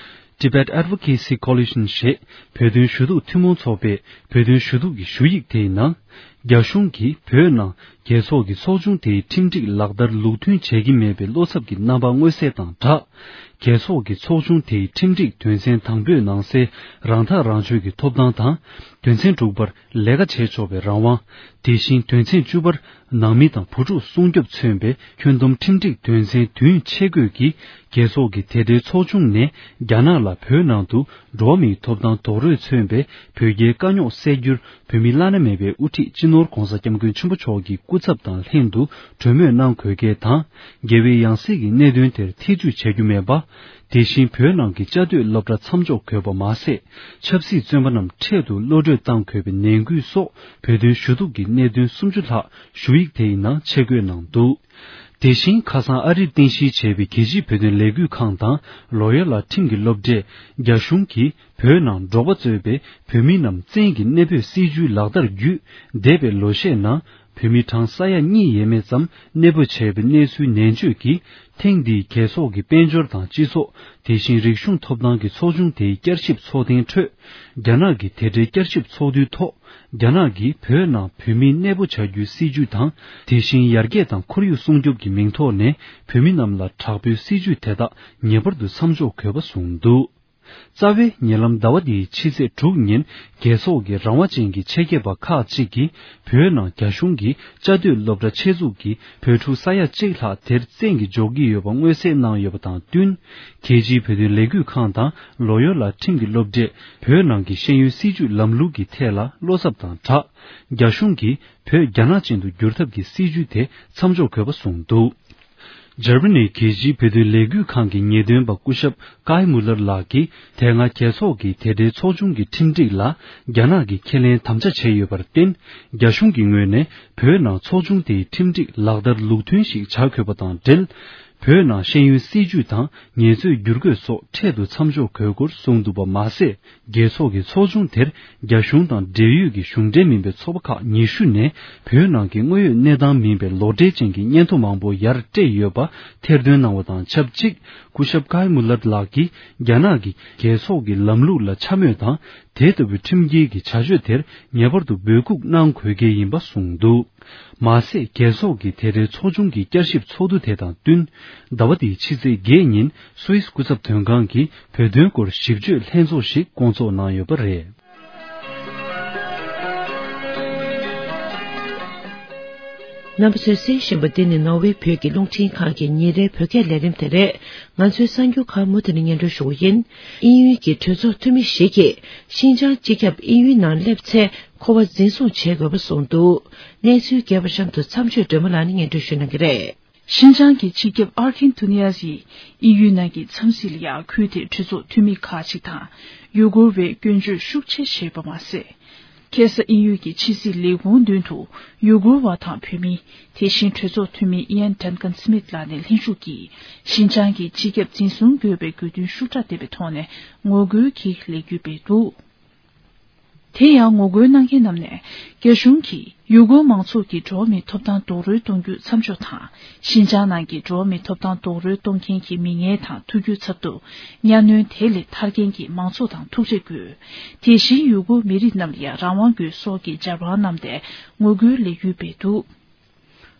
Tibet Advocacy Coalition ཞེས་བོད་དོན་ཞུ་གཏུག་ཐུན་མོང་ཚོགས་པས་བོད་དོན་ཞུ་གཏུག་གི་ཞུ་ཡིག་དེའི་ནང་། རྒྱ་གཞུང་གིས་བོད་ནང་རྒྱལ་ཚོགས་ཀྱི་ཚོགས་ཆུང་དེའི་ཁྲིམས་སྒྲིག་ལག་བསྟར་ལུགས་མཐུན་བྱེད་ཀྱི་མེད་པའི་བློ་འཚབ་ཀྱི་རྣམ་པ་མངོན་གསལ་དང་སྦྲགས། རྒྱལ་ཚོགས་ཀྱི་ཚོགས་ཆུང་དེའི་ཁྲིམས་སྒྲིག་དོན་ཚན་དང་པོའི་ནང་གསལ་རང་ཐག་རང་གཅོད་ཀྱི་ཐོབ་ཐང་དང་། དོན་ཚན་དྲུག་པར་ལས་ཀ་བྱེད་ཆོག་པའི་རང་དབང་། དེ་བཞིན་དོན་ཚན་བཅུ་པར་ནང་མི་དང་བུ་ཕྲུག་སྲུང་སྐྱོབ་མཚོན་པའི་ཁྱོན་བསྡོམས་ཁྲིམས་སྒྲིག་དོན་ཚན་བདུན་ཆེད་བཀོད་ཀྱིས་རྒྱལ་ཚོགས་ཀྱི་དེ་འབྲེལ་ཚོགས་ཆུང་ནས་རྒྱ་ནག་ལ་བོད་ནང་དུ་འགྲོ་བ་མིའི་ཐོབ་ཐང་རྡོག་རོལ་མཚོན་པའི་བོད་རྒྱའི་དཀའ་རྙོག་སེལ་རྒྱུར་བོད་མི་བླ་ན་མེད་པའི་དབུ་ཁྲིད་སྤྱི་ནོར་༧གོང་ས་༧སྐྱབས་མགོན་ཆེན་པོ་མཆོག་གི་སྐུ་ཚབ་དང་ལྷན་དུ་གྲོས་མོལ་གནང་དགོས་གལ་དང་། རྒྱལ་བའི་ཡང་སྲིད་ཀྱི་གནད་དོན་དེར་ཐེ་ཇུས་བྱ་རྒྱུ་མེད་པ། དེ་བཞིན་བོད་ནང་གི་བཅའ་སྡོད་སློབ་གྲྭ་མཚམས་འཇོག་དགོས་པ་མ་ཟད། ཆབ་སྲིད་བཙོན་པ་རྣམས་འཕྲལ་དུ་གློད་གྲོལ་གཏང་དགོས་པའི་ནན་སྐུལ་སོགས་བོད་དོན་ཞུ་གཏུག་གི་གནད་དོན་སུམ་ཅུ་ལྷག་ཞུ་ཡིག་དེའི་ནང་ཆེད་བཀོད་གནང་འདུག་དེ་བཞིན་ཁ་སང་ཨ་རིར་རྟེན་གཞི་བྱས་པའི་རྒྱལ་སྤྱིའི་བོད་དོན་ལས་འགུལ་ཁང་དང་ལོ་ཡོ་ལ་ཁྲིམས་ཀྱི་སློབ་གྲྭས་རྒྱ་གཞུང་གིས་བོད་ནང་འབྲོག་པ་གཙོས་པའི་བོད་མི་རྣམས་བཙན་གྱིས་གནས་སྤོས་སྲིད་ཇུས་ལག་བསྟར་བརྒྱུད་འདས་པའི་ལོ་ཤས་ནང་བོད་མི་གྲངས་ས་ཡ་གཉིས་ཡས་མས་ཙམ་གནས་སྤོ་བྱས་པའི་གནས་ཚུལ་ནན་བརྗོད་ཀྱིས། ཐེངས་འདིའི་རྒྱལ་ཚོགས་ཀྱི་དཔལ་འབྱོར་དང་སྤྱི་ཚོགས། དེ་བཞིན་རིག་གཞུང་ཐོབ་ཐང་གི་ཚོགས་ཆུང་དེའི་བསྐྱར་ཞིབ་ཚོགས་ཐེངས་ཁྲོད། རྒྱ་ནག་གི་དེ་འབྲེལ་བསྐྱར་ཞིབ་ཚོགས་འདུའི་ཐོག་རྒྱ་ནག་གིས་བོད་ནང་བོད་མི་གནས་སྤོ་བྱ་རྒྱུའི་སྲིད་ཇུས་དང་། དེ་བཞིན་ཡར་རྒྱས་དང་ཁོར་ཡུག་སྲུང་སྐྱོབ་ཀྱི་མིང་ཐོག་ནས་བོད་མི་རྣམས་ལ་དྲག་པོའི་སྲིད་ཇུས་དེ་དག་ངེས་པར་དུ་མཚམས་འཇོག་དགོས་པ་གསུངས་འདུག་རྩ་བའི་ཉེ་ལམ་ཟླ་བ་འདིའི་ཕྱི་ཚེས་དྲུག་ཉིན་རྒྱལ་ཚོགས་ཀྱི་རང་དབང་ཅན་གྱི་ཆེད་མཁས་པ་ཁག་ཅིག་གིས་བོད་ནང་རྒྱ་གཞུང་གིས་བཅའ་སྡོད་སློབ་གྲྭ་ཆེད་འཛུགས་ཀྱིས་བོད་ཕྲུག་ས་ཡ་གཅིག་ལྷག་དེར་བཙན་གྱིས་འཇོག་གི་ཡོད་པ་མངོན་གསལ་གནང་ཡོད་པ་དང་བསྟུན། རྒྱལ་སྤྱིའི་བོད་དོན་ལས་འགུལ་ཁང་དང་ལོ་ཡོ་ལ་ཁྲིམས་ཀྱི་སློབ་གྲས་བོད་ནང་གི་ཤེས་ཡོན་སྲིད་བྱུས་ལམ་ལུགས་ཀྱི་ཐད་ལ་བློ་འཚབ་དང་སྦྲགས། རྒྱ་གཞུང་གིས་བོད་རྒྱ་ནག་ཅན་དུ་བསྒྱུར་ཐབས་ཀྱི་སྲིད་བྱུས་དེ་མཚམས་འཇོག་དགོས་པ་གསུངས་འདུག་འཇར་མ་ནིའི་རྒྱལ་སྤྱིའི་བོད་དོན་ལས་འགུལ་ཁང་གི་ངེས་སྟོན་པ་སྐུ་ཞབས་ཀའི་མུ་ལར་ལགས་ཀྱིས། དེ་སྔ་རྒྱལ་ཚོགས་ཀྱི་དེ་འབྲེལ་ཚོགས་ཆུང་གི་ཁྲིམས་སྒྲིག་ལ་རྒྱ་ནག་གིས་ཁས་ལེན་དམ་བཅའ་བྱས་ཡོད་པར་བརྟེན། རྒྱ་གཞུང་གི་ངོས་ནས་བོད་ནང་ཚོགས་ཆུང་དེའི་ཁྲིམས་སྒྲིག་ལག་བསྟར་ལུགས་མཐུན་ཞིག་བྱ་དགོས་པ་དང་འབྲེལ། བོད་ནང་ཤེས་ཡོན་སྲིད་བྱུས་དང་ངལ་རྩོལ་བསྒྱུར་བཀོད་སོགས་འཕྲལ་དུ་མཚམས་འཇོག་དགོས་སྐོར་གསུངས་འདུག་པ་མ་ཟད། རྒྱལ་ཚོགས་ཀྱི་ཚོགས་ཆུང་དེར་རྒྱ་གཞུང་དང་འབྲེལ་ཡོད་ཀྱི་གཞུང་འབྲེལ་མིན་པའི་ཚོགས་པ་ཁག་ཉི་ཤུ་ནས་བོད་ནང་གི་དངོས་ཡོད་གནས་སྟངས་མིན་པའི་ལོ་འབྲེལ་ཅན་གྱི་སྙན་ཐོ་མང་པོ་ཡར་སྤྲད་ཡོད་པ་ཐེར་འདོན་གནང་བ་དང་ཆབས་ཅིག་སྐུ་ཞབས་ཀའི་མུ་ལར་ལགས་ཀྱིས་རྒྱ་ནག་གི་རྒྱལ་ཚོགས་ཀྱི་ལམ་ལུགས་ལ་འཕྱ་སྨོད་དང་། དེ་ལྟ་བུའི་ཁྲིམས་འགལ་གྱི་བྱ་སྤྱོད་དེར་ངེས་པར་དུ་འབོད་འགུག་གནང་དགོས་གལ་ཡིན་པ་གསུངས་འདུག་མ་ཟད། རྒྱལ་ཚོགས་ཀྱི་དེ་འབྲེལ་ཚོགས་ཆུང་གི་བསྐྱར་ཞིབ་ཚོགས་འདུ་དེ་དང་བསྟུན། ཟླ་བ་འདིའི་ཕྱི་ཚེས་བརྒྱད་ཉིན་སུད་སི་སྐུ་ཚབ་དོན་ཁང་གིས་བོད་དོན་སྐོར་ཞིབ་དཔྱོད་ལྷན་ཚོགས་ཤིག་བསྐོང་ཚོགས་གནང་ཡོད་པ་རེད། རྣམ་པ་ཚོས་གསན་བཞིན་པ་འདི་ནི་ནོར་ཝེ་བོད་ཀྱི་རླུང་འཕྲིན་ཁང་གི་ཉིན་རེའི་བོད་སྐད་ལས་རིམ་དེ་རེད། ང་ཚོའི་གསར་འགྱུར་ཁག་མུ་མཐུད་ནས་སྙན་སྒྲོན་ཞུ་གི་ཡིན། དབྱིན་ཡུལ་གྱི་གྲོས་ཚོགས་འཐུས་མི་ཞིག་གིས་ཤིན་ཅང་སྤྱི་ཁྱབ་དབྱིན་ཡུལ་ནང་སླེབས་ཚེ་ཁོ་པ་འཛིན་བཟུང་བྱེད་དགོས་པ་གསུངས་འདུག་གནས་ཚུལ་རྒྱས་པ་གཤམ་དུ་མཚམས་གཅོད་སྒྲོལ་མ་ལགས་ནས་སྙན་སྒྲོན་ཞུ་གནང་གི་རེད། ཤིན་ཅང་གི་སྤྱི་ཁྱབ་ཨར་ཁིན་ཐུ་ནི་ཡ་སི་ཡིས་དབྱིན་ཡུལ་ནང་གི་འཚམས་གཟིགས་ལ་ཡང་ཁུལ་དེའི་གྲོས་ཚོགས་འཐུས་མི་ཁག་ཅིག་དང་། ཡུ་གུར་བས་སྐྱོན་བརྗོད་ཤུགས་ཆེ་བྱས་པ་མ་ཟད། ཁ་སང་དབྱིན་ཡུལ་གྱི་ཕྱི་སྲིད་ལས་ཁུངས་མདུན་དུ་ཡུ་གུར་བ་དང་བོད་མི། དེ་བཞིན་གྲོས་ཚོགས་འཐུས་མི་ཨི་ཡན་ཌན་ཀན་སི་མིད་ལགས་ནས་ལྷན་ཞུགས་ཀྱིས་ཤིན་ཅང་གི་སྤྱི་ཁྱབ་འཛིན་བཟུང་དགོས་པའི་དགོས་འདུན་ཤུགས་དྲག་ལྡན་པའི་ཐོག་ནས་ངོ་རྒོལ་གྱི་ལས་འགུལ་སྤེལ་འདུག་དེ་ཡང་ངོ་རྒོལ་གནང་མཁན་རྣམས་ནས། རྒྱ་གཞུང་གིས་ཡུ་གུར་མང་ཚོགས་ཀྱི་འགྲོ་བ་མིའི་ཐོབ་ཐང་རྡོག་རོལ་གཏོང་རྒྱུ་མཚམས་འཇོག་དང་། ཤིན་ཅང་ནང་གི་འགྲོ་བ་མིའི་ཐོབ་ཐང་རྡོག་རོལ་གཏོང་མཁན་གྱི་མི་ངན་དང་ཐུག་རྒྱུ་ཚབ་ཏུ། གཉའ་གནོན་དེ་ལས་ཐར་མཁན་གྱི་མང་ཚོགས་དང་ཐུག་འཕྲད་དགོས། དེ་བཞིན་ཡུ་གུར་མི་རིགས་རྣམས་ལ་ཡང་རང་དབང་དགོས་སོགས་ཀྱི་ཇ་རྦན་བསྣམས་ཏེ་ངོ་རྒོལ་ལས་འགུལ་སྤེལ་འདུག་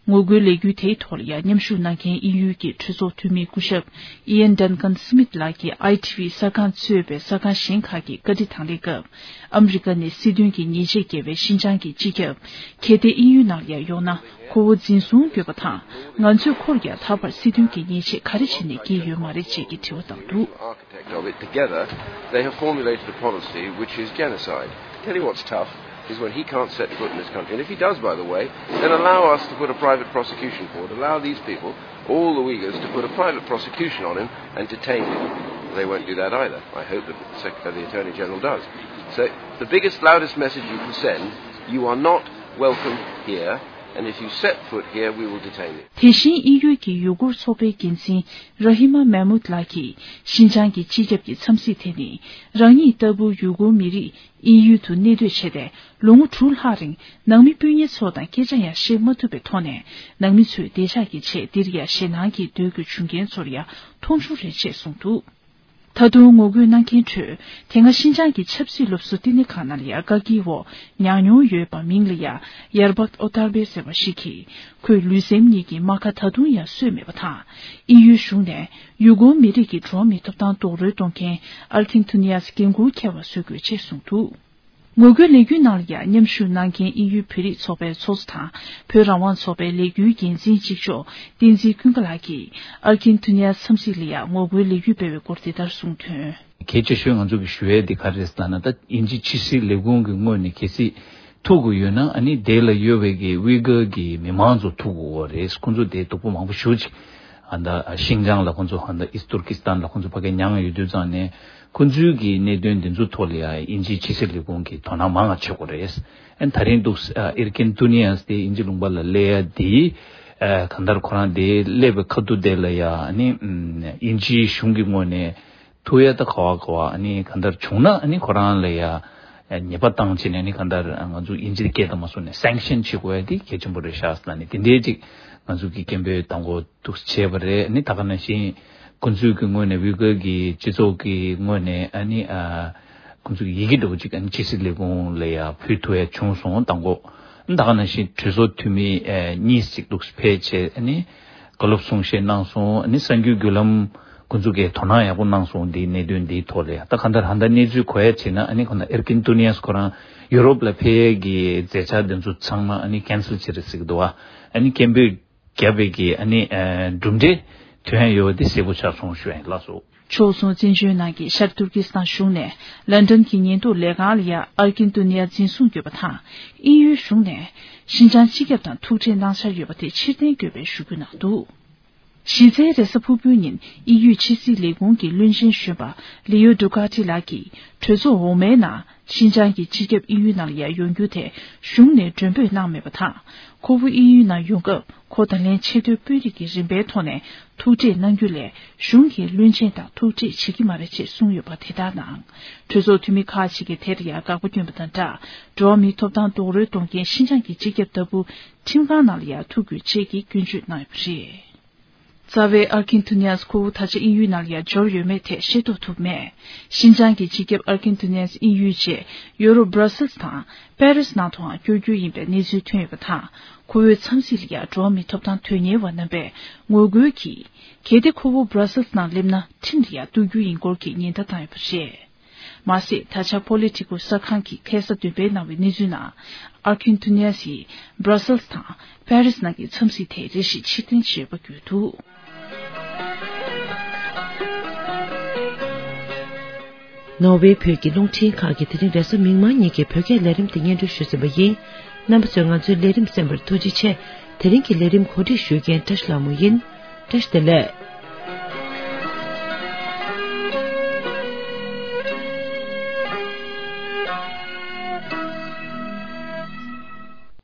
ངོ་རྒོལ་ལས་འགུལ་དེའི་ཐོག་ལ་ཡང་མཉམ་ཞུགས་གནང་མཁན་དབྱིན་ཡུལ་གྱི་གྲོས་ཚོགས་འཐུས་མི་སྐུ་ཞབས་ཨི་ཡན་ཌན་ཀན་སི་མིད་ལགས་ཀྱིས་ཨའི་ཊི་ཝི་གསར་ཁང་གཙོས་པའི་གསར་ཁང་གཞན་ཁག་གི་བཀའ་འདྲི་དང་ལེན་སྐབས། ཨ་མི་རི་ཀ་ནས་སྲིད་དོན་གྱི་ཉེས་ཆད་བཀལ་བའི་ཤིན་ཅང་གི་སྤྱི་ཁྱབ་གལ་ཏེ་དབྱིན་ཡུལ་ནང་ལ་ཡང་ཡོང་ན་ཁོ་བོ་འཛིན་བཟུང་དགོས་པ་དང་། ང་ཚོས་ཁོར་ཡང་ད་བར་སྲིད་དོན་གྱི་ཉེས་ཆད་ག་རེ་བྱས་ནས་བཀལ་ཡོད་མ་རེད་ཅེས་ཀྱི་དྲི་བ་བཏང་འདུག architect of it together, they have formulated a policy which is genocide. Tell you what's tough is when he can't set foot in this country, and if he does, by the way, then allow us to put a private prosecution forward, allow these people, all the Uyghurs, to put a private prosecution on him and detain him. They won't do that either. I hope that the, Sec- uh, the Attorney General does. So the biggest, loudest message you can send, you are not welcome here, and if you set foot here, we will detain you. དེ་བཞིན་དབྱིན་ཡུལ་གྱི་ཡུ་གུར་ཚོགས་པའི་འགན་འཛིན་ར་ཧི་མ་མེ་མུད་ལགས་ཀྱིས་ཤིན་ཅང་གི་སྤྱི་ཁྱབ་ཀྱི་འཚམས་གཟིགས་དེ་ནི་རང་ཉིད་ལྟ་བུ་ཡུ་གུར་མི་རིགས་དབྱིན་ཡུལ་དུ་གནས་སྡོད་བྱས་ཏེ་ལོ་ངོ་དྲུག་ལྷག་རིང་ནང་མི་སྤུན་ཉེ་ཚོ་དང་སྐད་ཆ་ཡང་བཤད་མ་ཐུབ་པའི་ཐོག་ནས་ནང་མི་ཚོའི་བདེ་འཇགས་ཀྱི་ཆེད་འདིར་ཡང་ཞེད་སྣང་གིས་སྡོད་དགོས་བྱུང་མཁན་ཚོར་ཡང་མཐོང་ཆུང་རེད་ཅེས་གསུངས་འདུག་ད་དུང་ངོ་རྒོལ་གནང་མཁན་ཁྲོད་དེ་སྔ་ཤིན་ཅང་གི་ཆབ་སྲིད་སློབ་གསོ་བསྟི་གནས་ཁང་ནང་ལ་ཡང་བཀག་སྐྱིལ་འོག་ཉར་མྱོང་ཡོད་པ་མིང་ལ་ཡང་ཡར་བག་ཨོ་ཏར་བེ་ཟེར་བ་ཞིག་གིས་ཁོས་ལུས་སེམས་གཉིས་ཀྱི་རྨ་ཁ་ད་དུང་ཡང་གསོས་མེད་པ་དང་། དབྱིན་ཡུལ་གཞུང་ནས་ཡུ་གུར་མི་རིགས་ཀྱི་འགྲོ་བ་མིའི་ཐོབ་ཐང་རྡོག་རོལ་གཏོང་མཁན་ཨར་ཁིན་ཐུ་ནི་ཡ་སི་འགན་འཁུར་འཁྱེར་བ་བཟོ་དགོས་ཅེས་གསུངས་འདུག་ངོ་རྒོལ་ལས་འགུལ་ནང་ལ་ཡང་མཉམ་ཞུགས་གནང་མཁན་དབྱིན་ཡུལ་བོད་རིགས་ཚོགས་པའི་ཚོགས་གཙོ་དང་བོད་རང་དབང་ཚོགས་པའི་ལས་འགུལ་འགན་འཛིན་གཅིག་ལྕོགས་བསྟན་འཛིན་ཀུན་དགའ་ལགས་ཀྱིས་ཨར་ཁིན་ཐུ་ནི་ཡ་འཚམས་གཟིགས་ལ་ཡང་ངོ་རྒོལ་ལས་འགུལ་སྤེལ་བའི་སྐོར་འདི་ལྟར་གསུངས་དོན། གལ་ཆེ་ཤོས་ང་ཚོ་གི་ཞུ་ཡས་འདི་ག་རེ་རེད་ལབ་ན། ད་དབྱིན་ཇི་ཕྱི་སྲིད་ལས་ཁུངས་ཀྱི་ངོས་ནས་གལ་སྲིད་ཐུག་དགོས་ཡོད་ན། ཨ་ནི་དེ་ལ་ཡོད་པའི་གི་ཝི་གར་གྱི་མི་མང་ཚོ་ཐུག་དགོས་རེད། ཁོང་ཚོ་དེ་སྡུག་པོ་མང་པོ་ཞེ་ཅིག་ཨ་ད་ཤིང་ཅང་ལ་ཁོང་ཚོ་ཨ་ད་ཨིས་ཏུར་ཀི་སི་ཐན་ལ་ཁོང་ཚོ་ཕ་གི་མྱངས་ཡོད་དུས་ཙང་ནས། ཁོང་ཚོའི་གི་གནད་དོན་འདི་ཚོ་ཐོག་ལ་ཡང་དབྱིན་ཇིའི་ཕྱི་སྲིད་ལས་ཁུངས་ཀྱིས་དོ་སྣང་མང་བ་བྱེད་དགོས་རེད། ཨ་ནི་ད་རིང་འདུག་ཨ་ཨེར་ཀིན་ཏུ་ནི་ཡས་དེ་དབྱིན་ཇི་ལུང་པ་ལ་སླེབས་ཡ་དེ། ཨ་གང་ལྟར་ཁོ་རང་དེ་སླེབས་པའི་ཁ་ཐུག་དེ་ལ་ཡང་ཨ་ནི་ཨམ་དབྱིན་ཇིའི་གཞུང་གི་ངོས་ནས་ཐུག་ཡ་ད་ག་བ་ག་བ་ཨ་ནི་གང་ལྟར་བྱུང་ན། ཨ་ནི་ཁོ་རང་ལ་ཡང་ཨ་ཉེས་པ་བཏང་བྱས་ནས། ཨ་ནི་གང་ལྟར་ང་ཚོ་དབྱིན་ཇིའི་སྐད་དང་མ་སོང་ནས་སེང་ཤན་བྱེད་དགོས་ཡ་དེ་གལ་ཆེན་པོ་རེད་ཤག་ཟེར་ནས། དེ་འདྲའི་ཅིག་ང་ཚོ་གི་སྐད་འབོད་དང་པོ་འདུག་བྱས་པ་རེད། ཨ་ནི་ད་ག་ནང་བཞིན་ཁོང་ཚོའི་གི་ངོས་ནས་ཝི་གར་གྱི་སྤྱི་ཚོགས་ཀྱི་ངོས་ནས་ཨ་ནི་ཨ་ཁོང་ཚོ་གི་ཡི་གེ་འདྲ་བོ་ཅིག་ཨ་ནི་ཕྱི་སྲིད་ལས་ཁུངས་ལ་ཡང་ཕུལ་ཐུབ་ཡ་བྱུང་སོང་། དང་པོ་ཨ་ནི་ད་ག་ནང་བཞིན་གྲོས་ཚོགས་འཐུས་མི་ཨ་གཉིས་ཅིག་འདུག་ཕེབས་བྱས། ཨ་ནི་བཀའ་སློབ་གསུང་བཤད་གནང་སོང་། ཨ་ནི་གསར་འགྱུར་བརྒྱུད་ལམ་ཁོང་ཚོ་གིས་དོ་སྣང་ཡག་པོ་གནང་སོང་། འདིའི་གནད་དོན་འདིའི་ཐོག་ལ་ཡང་། ད་གང་ལྟར་ཧ་ད་གནས་ཚུལ་གོ་ཡ་བྱས་ན། ཨ་ནི་ཁོ་ན་ཨེར་ཀིན་ཏུ་ནི་ཡས་ཁོ་རང་ཡུ་རོབ་ལ་ཕེབས་ཡས་ཀྱི་མཛད་འཆར་འདི་ཚོ་ཚང་མ་ཨ་ནི་ཀན་སལ་བྱེད་རེད་ཟེར་གི་འདུག་བ། ཨ་ནི་སྐད་འབོད་བརྒྱབ་པའི་གི་ཨ་ནི་ཨ་གྲུབ་འབྲས་ཐོན་ཡོད་དེ་གསལ་པོ་ཆགས་སོང་ཞུ་ཡ་ཡིན། ལགས་སོ། ཕྱོགས་མཚུངས་བཙན་བྱོལ་ནང་གི་ཤར་ཏུར་ཀི་སི་ཐན་གཞུང་ནས་ལན་ཀྲན་གྱི་ཉེན་རྟོག་ལས་ཁང་ལ་ཡང་ཨར་ཀིན་ཏུ་ནི་ཡ་འཛིན་བཟུང་ཡོད་པ་དང་། དབྱིན་ཡུལ་གཞུང་ནས་ཤིན་ཅང་སྤྱི་ཁྱབ་དང་ཐུག་འཕྲད་གནང་འཆར་ཡོད་པ་དེ་ཕྱིར་འཐེན་དགོས་པའི་ཞུ་རྒྱུ་གནང་འདུག་གཞི་རྩའི་རེས་གཟའ་ཕུར་བུའི་ཉིན་དབྱིན་ཡུལ་ཕྱི་སྲིད་ལས་ཁུངས་ཀྱི་བློན་ཆེན་གཞོན་པ་ལི་ཡོ་ཌུ་ཀ་ཏི་ལགས་ཀྱིས་གྲོས་ཚོགས་འོག་མའི་ནང་ཤིན་ཅང་གི་སྤྱི་ཁྱབ་དབྱིན་ཡུལ་ནང་ལ་ཡང་ཡོང་རྒྱུ་དེ་གཞུང་ནས་མགྲོན་འབོད་གནང་མེད་པ་དང་། ཁོ་བོ་དབྱིན་ཡུལ་ནང་ཡོང་སྐབས་ཁོ་ད་ལན་ཆེས་མཐོའི་དཔོན་རིགས་ཀྱི་རིམ་པའི་ཐོག་ནས་ཐུག་འཕྲད་གནང་རྒྱུ་ལས་གཞུང་གི་བློན་ཆེན་དང་ཐུག་འཕྲད་བྱེད་ཀྱི་མ་རེད་ཅེས་གསུངས་ཡོད་པ་དེ་དག་ནང་། གྲོས་ཚོགས་འཐུས་མི་ཁག་ཅིག་གིས་དེར་ཡང་དགག་པ་བསྐྱོན་པ་དང་སྦྲགས། འགྲོ་བ་མིའི་ཐོབ་ཐང་རྡོག་རོལ་གཏོང་མཁན་ཤིན་ཅང་གི་སྤྱི་ཁྱབ་ལྟ་བུ་ཁྲིམས་ཁང་ནང་ལ་ཡང་ཐུག་དགོས་ཅེས་ཀྱི་སྐྱོན་བརྗོད་གནང་ཡོད་པ་རེད། རྩ་བའི་ཨར་ཁིན་ཐུ་ནི་ཡས་ཁོ་བོ་ད་ཆ་དབྱིན་ཡུལ་ནང་ལ་ཡང་འབྱོར་ཡོད་མེད་ཐད་ཤེས་རྟོགས་ཐུབ་མེད། ཤིན་ཅང་གི་སྤྱི་ཁྱབ་ཨར་ཁིན་ཐུ་ནི་ཡས་དབྱིན་ཡུལ་རྗེས་ཡོ་རོབ་སྦྲ་སེལ་སི་དང་པེ་རིས་ནང་དུའང་བསྐྱོད་རྒྱུ་ཡིན་པའི་གནས་ཚུལ་ཐོན་ཡོད་པ་དང་། ཁོ་བོའི་འཚམས་གཟིགས་ལ་ཡང་འགྲོ་བ་མིའི་ཐོབ་ཐང་དོན་གཉེར་བ་རྣམ་པས་ངོ་རྒོལ་གྱིས། གལ་ཏེ་ཁོ་བོ་སྦྲ་སེལ་སི་ནང་སླེབས་ན་ཁྲིམས་ལ་ཡང་གཏུག་རྒྱུ་ཡིན་སྐོར་གྱི་ཉེན་བརྡ་བཏང་ཡོད་པ་རེད། མ་ཟད། ད་ཆ་པོ་ལི་ཊི་ཀོ་གསར་ཁང་གིས་ཁ་སང་འདོན་སྤེལ་གནང་བའི་གནས་ཚུལ་ནང་། ཨར་ཁིན་ཐུ་ནི་ཡ་སི་ཡིས་སྦྲ་སེལ་སི་དང་པེ་རི་སི་ནང་གི་འཚམས་གཟིགས་དེ་རེ་ཞིག་ཕྱིར་འཐེན་བྱས་པ་བརྒྱུད་འདུག། ནོར་ཝེ་བོད་ཀྱི་རླུང་འཕྲིན་ཁང་གིས་དེ་རིང་རེས་གཟའ་མིག་དམར་ཉིན་གྱི་བོད་སྐད་ལས་རིམ་དེ་སྙན་སྒྲོན་ཞུས་ཟིན་པ་ཡིན། རྣམ་པ་ཚོས་ང་ཚོའི་ལས་རིམ་གསན་པར་ཐུགས་རྗེ་ཆེ། དེ་རིང་གི་ལས་རིམ་གོ་སྒྲིག་ཞུ་མཁན་བཀྲ་ཤིས་ལྷ་མོ་ཡིན། བཀྲ་ཤིས་བདེ་ལེགས།